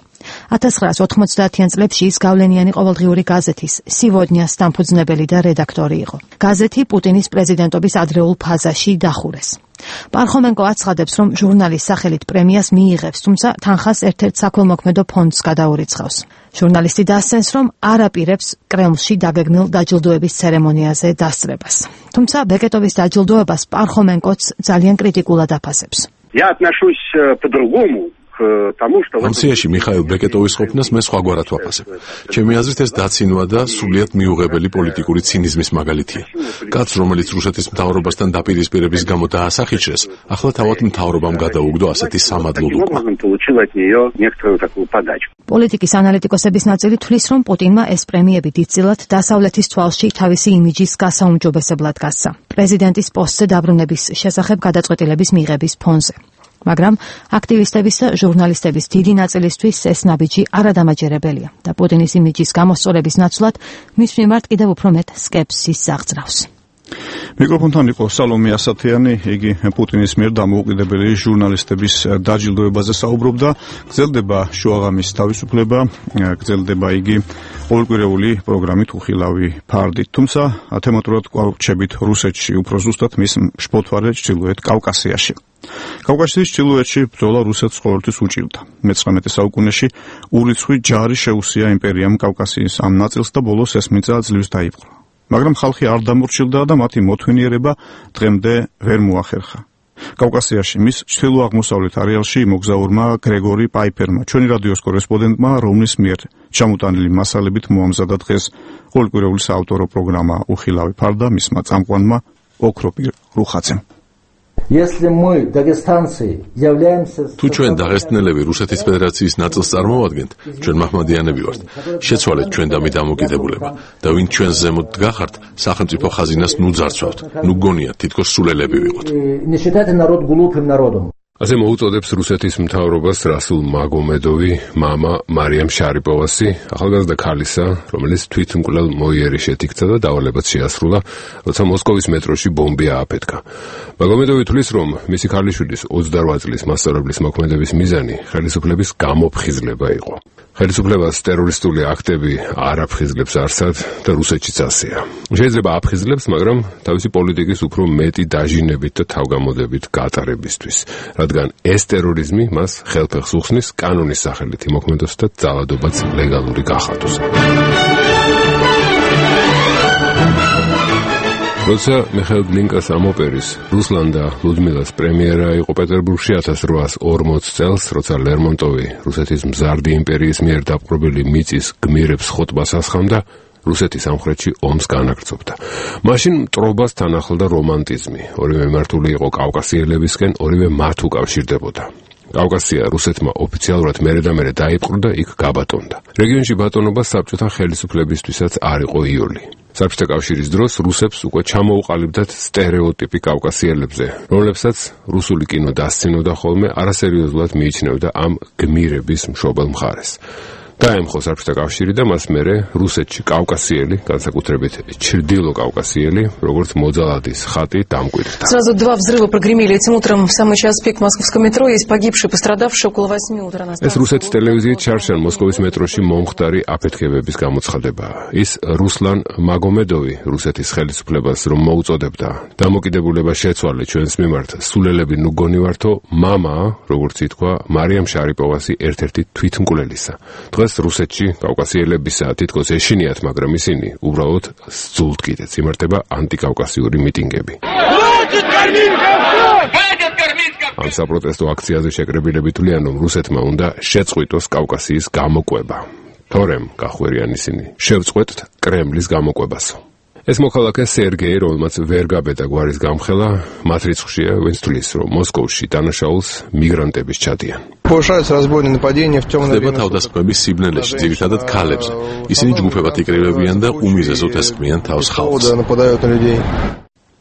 ათას ცხრაას ოთხმოცდაათიან წლებში ის გავლენიანი ყოველდღიური გაზეთის სივოდნიას დამფუძნებელი და რედაქტორი იყო. გაზეთი პუტინის პრეზიდენტობის ადრეულ ფაზაში დახურეს. პარხომენკო აცხადებს, რომ ჟურნალის სახელით პრემიას მიიღებს, თუმცა თანხას ერთ-ერთ საქველმოქმედო ფონდს გადაურიცხავს. ჟურნალისტი დასცენს, რომ არ აპირებს კრემლში დაგეგმილ დაჯილდოების ცერემონიაზე დასწრებას. თუმცა ბეკეტოვის დაჯილდოებას პარხომენკოც ძალიან კრიტიკულად აფასებს. Я отношусь по-другому. ამ სიაში მიხაილ ბეკეტოვის ყოფნას მე სხვაგვარად ვაფასებ. ჩემი აზრით ეს დაცინვა და სრულიად მიუღებელი პოლიტიკური ცინიზმის მაგალითია. კაცს, რომელიც რუსეთის მთავრობასთან დაპირისპირების გამო დაასახიჩრეს, ახლა თავად მთავრობამ გადაუგდო ასეთი სამადლო ლუკვა. პოლიტიკის ანალიტიკოსების ნაწილი თვლის, რომ პუტინმა ეს პრემიები დიდწილად დასავლეთის თვალში თავისი იმიჯის გასაუმჯობესებლად გასცა. პრეზიდენტის პოსტზე დაბრუნების შესახებ გადაწყვეტილების მიღების ფონზე. მაგრამ აქტივისტების და ჟურნალისტების დიდი ნაწილისთვის ეს ნაბიჯი არადამაჯერებელია და პუტინის იმიჯის გამოსწორების ნაცვლად მის მიმართ კიდევ უფრო მეტ სკეპსის აღძრავს. მიკროფონთან იყო სალომე ასათიანი, იგი პუტინის მიერ დამოუკიდებელი ჟურნალისტების დაჯილდოებაზე საუბრობდა. გრძელდება შუაღამის თავისუფლება, გრძელდება იგი ყოველკვირეული პროგრამით უხილავი ფარდით. თუმცა თემატურად კვლავ რჩებით რუსეთში, უფრო ზუსტად მის შფოთვარე ჩრდილოეთ კავკასიაში. კავკასიის ჩრდილოეთში ბრძოლა რუსეთს ყოველთვის უჭირდა. მეცხრამეტე საუკუნეში ურიცხვი ჯარი შეუსია იმპერიამ კავკასიის ამ ნაწილს და ბოლოს ეს მიწა ძლივს დაიპყრო. მაგრამ ხალხი არ დამორჩილდა და მათი მოთმინიერება დღემდე ვერ მოახერხა. კავკასიაში მის ჩრდილო-აღმოსავლეთ არეალში მოგზაურმა გრეგორი პაიფერმა, ჩვენი რადიოს კორესპონდენტმა, რომლის მიერ ჩამოტანილი მასალებით მოამზადა დღეს ყოველკვირეული საავტორო პროგრამა უხილავი ფარდა მისმა წამყვანმა ოქროპირ რუხაძემ. თუ ჩვენ დაღესტნელები რუსეთის ფედერაციის ნაწილს წარმოვადგენთ, ჩვენ მაჰმადიანები ვართ. შეცვალეთ ჩვენ დამი დამოკიდებულება და ვინ ჩვენს ზემოთ დგახართ, სახელმწიფო ხაზინას ნუ ძარცვავთ, ნუ გონიათ თითქოს სულელები ვიყოთ. ასე მოუწოდებს რუსეთის მთავრობას რასულ მაგომედოვი, მამა მარიამ შარიპოვასი, ახალგაზრდა ქალისა, რომელიც თვითმკვლელ მოიერი შეთიქცა და დავალებაც შეასრულა, როცა მოსკოვის მეტროში ბომბი ააფეთქა. მაგომედოვი თვლის, რომ მისი ქალიშვილის ოცდარვა წლის მასწავლებლის მოქმედების მიზანი ხელისუფლების გამოფხიზლება იყო. ხელისუფლებას ტერორისტული აქტები არ აფხიზლებს არსად და რუსეთშიც ასეა. შეიძლება აფხიზლებს, მაგრამ თავისი პოლიტიკის უფრო მეტი დაჟინებით და თავგამოდებით გატარებისთვის, რადგან ეს ტერორიზმი მას ხელფეხს უხსნის კანონის სახელით იმოქმედოს და ძალადობაც ლეგალური გახადოს. როცა მიხაილ გლინკას ამ ოპერის რუსლან და ლუდმილას პრემიერა იყო პეტერბურგში ათას რვაასი ორმოც წელს, როცა ლერმონტოვი რუსეთის მზარდი იმპერიის მიერ დაპყრობილი მიწის გმირებს ხოტბას ასხამდა, რუსეთის სამხრეთში ომს განაგრძობდა. მაშინ მტრობას თან ახლდა რომანტიზმი, ორივე მართული იყო კავკასიელებისკენ, ორივე მათ უკავშირდებოდა. კავკასია რუსეთმა ოფიციალურად მერე და მერე დაიპყრო და იქ გაბატონდა. რეგიონში ბატონობა საბჭოთა ხელისუფლებისთვისაც არ იყო იოლი. საბჭოთა კავშირის დროს რუსებს უკვე ჩამოუყალიბდათ სტერეოტიპი კავკასიელებზე, რომლებსაც რუსული კინო დასცინოდა ხოლმე, არასერიოზულად მიიჩნევდა ამ გმირების მშობელ მხარეს. დაემხო საბჭოთა კავშირი და მას მერე რუსეთში კავკასიელი, განსაკუთრებით ჩრდილო კავკასიელი, როგორც მოძალადის ხატი დამკვიდრდა. Сразу два взрыва прогремели этим утром в самый час пик московского метро. Есть погибшие, пострадавшие около восьми утра. ეს რუსეთის ტელევიზიით ჩარჩენ მოსკოვის მეტროში მომხდარი აფეთქებების გამოცხადებაა. ის რუსლან მაგომედოვი რუსეთის ხელისუფლებას რომ მოუწოდებდა დამოკიდებულება შეცვალე ჩვენს მიმართ სულელები ნუ გონივართო მამა, როგორც ითქვა მარიამ შარიპოვასი ერთ-ერთი თვითმკვლელისა. დღეს რუსეთში კავკასიელებისა თითქოს ეშინიათ, მაგრამ ისინი უბრალოდ სძულთ კიდეც იმართება ანტიკავკასიური მიტინგები. ამ საპროტესტო აქციაზე შეკრებილები თვლიან, რომ რუსეთმა უნდა შეწყვიტოს კავკასიის გამოკვება. თორემ გახვერიან ისინი, შევწყვეტთ კრემლის გამოკვებასო. ეს მოქალაქე სერგეი, რომელმაც ვერ გაბედა გვარის გამხელა, მათ რიცხვშია, ვინც თვლის, რომ მოსკოვში დანაშაულს მიგრანტების ჩადიან. ხდება თავდასხმების სიბნელეში, ძირითადად ქალებზე. ისინი ჯგუფებად იკრიბებიან და უმიზეზოდ ესხმიან თავს ხალხს.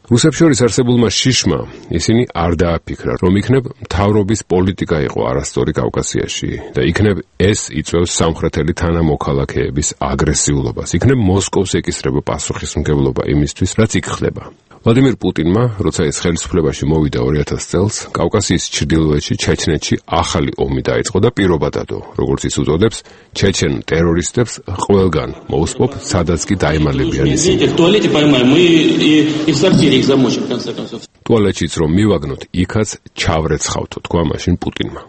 რუსებს შორის არსებულმა შიშმა ისინი არ დააფიქრა, რომ იქნებ მთავრობის პოლიტიკა იყო არასწორი კავკასიაში და იქნებ ეს იწვევს სამხრეთელი თანამოქალაქეების აგრესიულობას, იქნებ მოსკოვს ეკისრება პასუხისმგებლობა იმისთვის, რაც იქ ხდება. ვლადიმირ პუტინმა, როცა ის ხელისუფლებაში მოვიდა ორი ათას წელს, კავკასიის ჩრდილოეთში ჩეჩნეთში ახალი ომი დაიწყო და პირობა დადო, როგორც ის უწოდებს, ჩეჩენ ტერორისტებს ყველგან მოუსპობ, სადაც კი დაემალებიან ისინი. ტუალეტშიც რომ მივაგნოთ, იქაც ჩავრეცხავთო, თქვა მაშინ პუტინმა.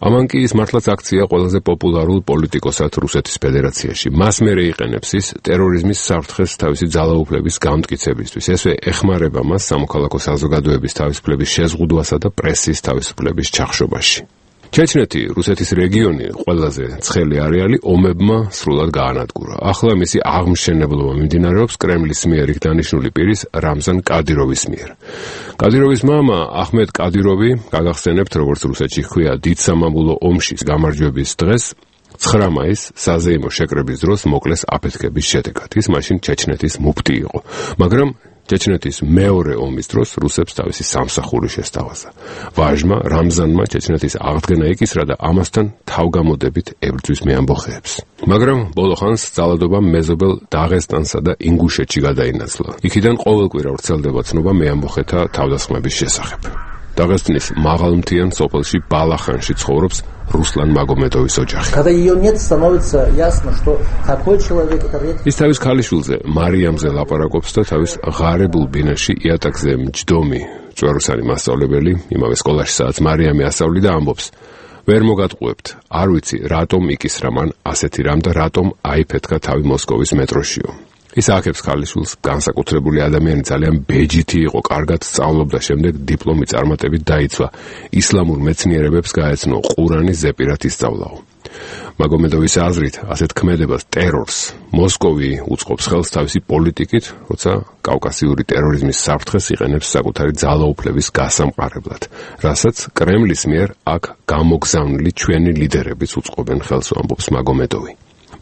ამან კი ის მართლაც აქცია ყველაზე პოპულარულ პოლიტიკოსად რუსეთის ფედერაციაში. მას მერე იყენებს ის ტერორიზმის საფრთხეს თავისი ძალაუფლების გამტკიცებისთვის. ესე ეხმარება მას სამოქალაქო საზოგადოების თავისუფლების შეზღუდვასა და პრესის თავისუფლების ჩახშობაში. ჩეჩნეთი, რუსეთის რეგიონი, ყველაზე ცხელი არეალი ომებმა სრულად გაანადგურა. ახლა მისი აღმშენებლობა მიმდინარეობს კრემლის მიერ იქ დანიშნული პირის რამზან კადიროვის მიერ. კადიროვის მამა აჰმედ კადიროვი, გაგახსენებთ, როგორც რუსეთში ჰქვია დიდ სამამულო ომში გამარჯვების დღეს, ცხრა მაისს საზეიმო შეკრების დროს მოკლეს აფეთქების შედეგად. ის მაშინ ჩეჩნეთის მუფტი იყო, მაგრამ ჩეჩნეთის მეორე ომის დროს რუსებს თავისი სამსახური შესთავაზა. ვაჟმა რამზანმა ჩეჩნეთის აღდგენა ეკისრა და ამასთან თავგამოდებით ებრძვის მეამბოხეებს. მაგრამ ბოლო ხანს ძალადობა მეზობელ დაღესტანსა და ინგუშეთში გადაინაცვლა. იქიდან ყოველკვირა ვრცელდება ცნობა მეამბოხეთა თავდასხმების შესახებ. დაღესტნის მაღალმთიან სოფელში ბალახანში ცხოვრობს რუსლან მაგომედოვის ოჯახი. ის თავის ქალიშვილზე მარიამზე ლაპარაკობს და თავის ღარებულ ბინაში იატაკზე მჯდომი წვეროსანი მასწავლებელი იმავე სკოლაში სადაც მარიამი ასწავლი და ამბობს: ვერ მოგატყუებთ, არ ვიცი რატომ იკისრა მან ასეთი რამ და რატომ აიფეთქა თავი მოსკოვის მეტროშიო. ის აახებს ქალიშვილს, განსაკუთრებული ადამიანი, ძალიან ბეჯითი იყო, კარგად სწავლობდა, შემდეგ დიპლომი წარმატებით დაიცვა. ისლამურ მეცნიერებებს გაეცნო, ყურანი ზეპირად ისწავლაო. მაგომედოვის აზრით, ასეთ ქმედებას ტერორს მოსკოვი უწყობს ხელს თავისი პოლიტიკით, როცა კავკასიური ტერორიზმის საფრთხეს იყენებს საკუთარი ძალაუფლების გასამყარებლად, რასაც კრემლის მიერ აქ გამოგზავნილი ჩვენი ლიდერებიც უწყობენ ხელს, ამბობს მაგომედოვი.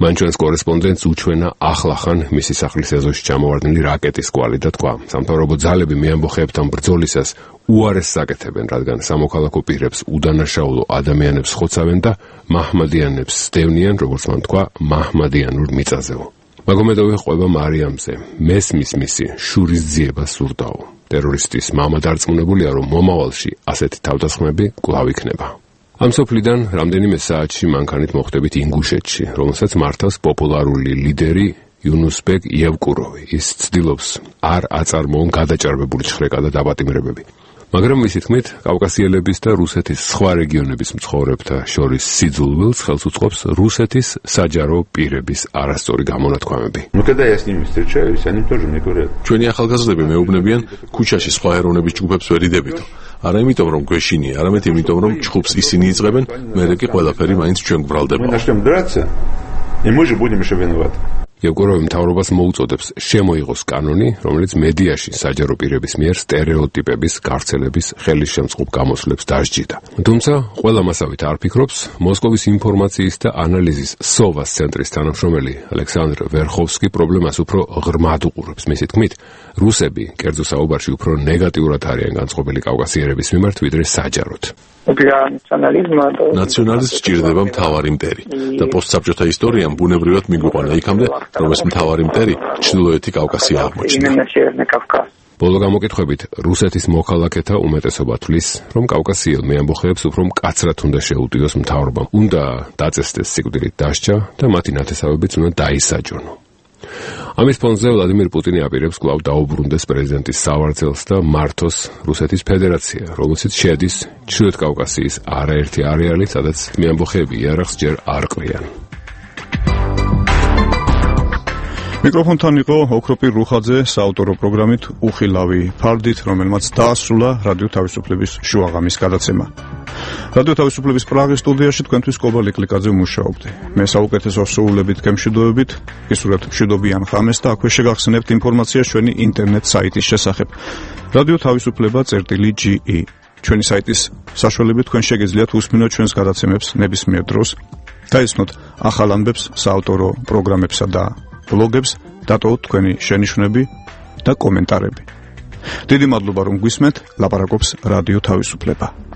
მან ჩვენს კორესპონდენტს უჩვენა ახლახან მისი სახლის ეზოში ჩამოვარდნილი რაკეტის კვალი და თქვა, სამთავრობო ძალები მეამბოხეებთან ბრძოლისას უარესს აკეთებენ, რადგან სამოქალაქო პირებს უდანაშაულო ადამიანებს ხოცავენ და მაჰმადიანებს სდევნიან, როგორც მან თქვა, მაჰმადიანურ მიწაზეო. მაგომედოვი ყვება მარიამზე, მესმის მისი შურის ძიება სურდაო. ტერორისტის მამა დარწმუნებულია, რომ მომავალში ასეთი თავდასხმები კვლავ იქნება. ამ სოფლიდან რამდენიმე საათში მანქანით მოხვდებით ინგუშეთში, რომელსაც მართავს პოპულარული ლიდერი იუნუსბეგ იევკუროვი. ის ცდილობს არ აწარმოონ გადაჭარბებული ჩხრეკა და დაპატიმრებები. მაგრამ მისი თქმით, კავკასიელების და რუსეთის სხვა რეგიონების მცხოვრებთა შორის სიძულვილს ხელს უწყობს რუსეთის საჯარო პირების არასწორი გამონათქვამები. ჩვენი ახალგაზრდები მეუბნებიან, ქუჩაში სხვა ეროვნების ჯგუფებს ვერ იდებითო. არა იმიტომ, რომ გვეშინია, არამედ იმიტომ, რომ ჩხუბს ისინი იწყებენ, მერე კი ყველაფერი მაინც ჩვენ გვბრალდება. ევგურავი მთავრობას მოუწოდებს შემოიღოს კანონი, რომელიც მედიაში საჯარო პირების მიერ სტერეოტიპების, გავრცელების, ხელისშემწყობ გამოსვლებს დასჯიდა. თუმცა, ყველა მასავით არ ფიქრობს, მოსკოვის ინფორმაციის და ანალიზის სოვას ცენტრის თანამშრომელი ალექსანდრ ვერხოვსკი პრობლემას უფრო ღრმად უყურებს. მისი თქმით, რუსები კერძო საუბარში უფრო ნეგატიურად არიან განწყობილი კავკასიერების მიმართ, ვიდრე საჯაროდ. ნაციონალიზმს სჭირდება მთავარი მტერი და პოსტსაბჭოთა ისტორიამ ბუნებრივად მიგვიყვანა იქამდე, რომ ეს მთავარი მტერი ჩრდილოეთი კავკასია აღმოჩნდა. ბოლო გამოკითხვებით რუსეთის მოქალაქეთა უმეტესობა თვლის, რომ კავკასიელ მეამბოხეებს უფრო მკაცრად უნდა შეუტიოს მთავრობამ, უნდა დაწესდეს სიკვდილით დასჯა და მათი ნათესავებიც უნდა დაისაჯონო. ამის ფონზე ვლადიმირ პუტინი აპირებს კვლავ დაუბრუნდეს პრეზიდენტის სავარძელს და მართოს რუსეთის ფედერაცია, რომელშიც შედის ჩრდილოეთ კავკასიის არაერთი არეალი, სადაც მეამბოხეები იარაღს ჯერ არ ყრიან. მიკროფონთან იყო ოქროპირ რუხაძე საავტორო პროგრამით უხილავი ფარდით, რომელმაც დაასრულა რადიო თავისუფლების შუაღამის გადაცემა. რადიო თავისუფლების პრაღის სტუდიაში თქვენთვის კობალ იკლიკაძე ვმუშაობდი. მე საუკეთესო სრულებით გემშვიდობებით, გისურვებთ მშვიდობიან ღამეს და აქვე შეგახსენებთ ინფორმაცია ჩვენი ინტერნეტ საიტის შესახებ. რადიო თავისუფლება წერტილი ჯი ი. ჩვენი საიტის საშუალებით თქვენ შეგეძლიათ უსმინოთ ჩვენს გადაცემებს ნებისმიერ დროს, დაისმოთ ახალ ამბებს, საავტორო პროგრამებსა და ბლოგებს, დატოვოთ თქვენი შენიშვნები და კომენტარები. დიდი მადლობა რომ გვისმენთ, ლაპარაკობს რადიო თავისუფლება.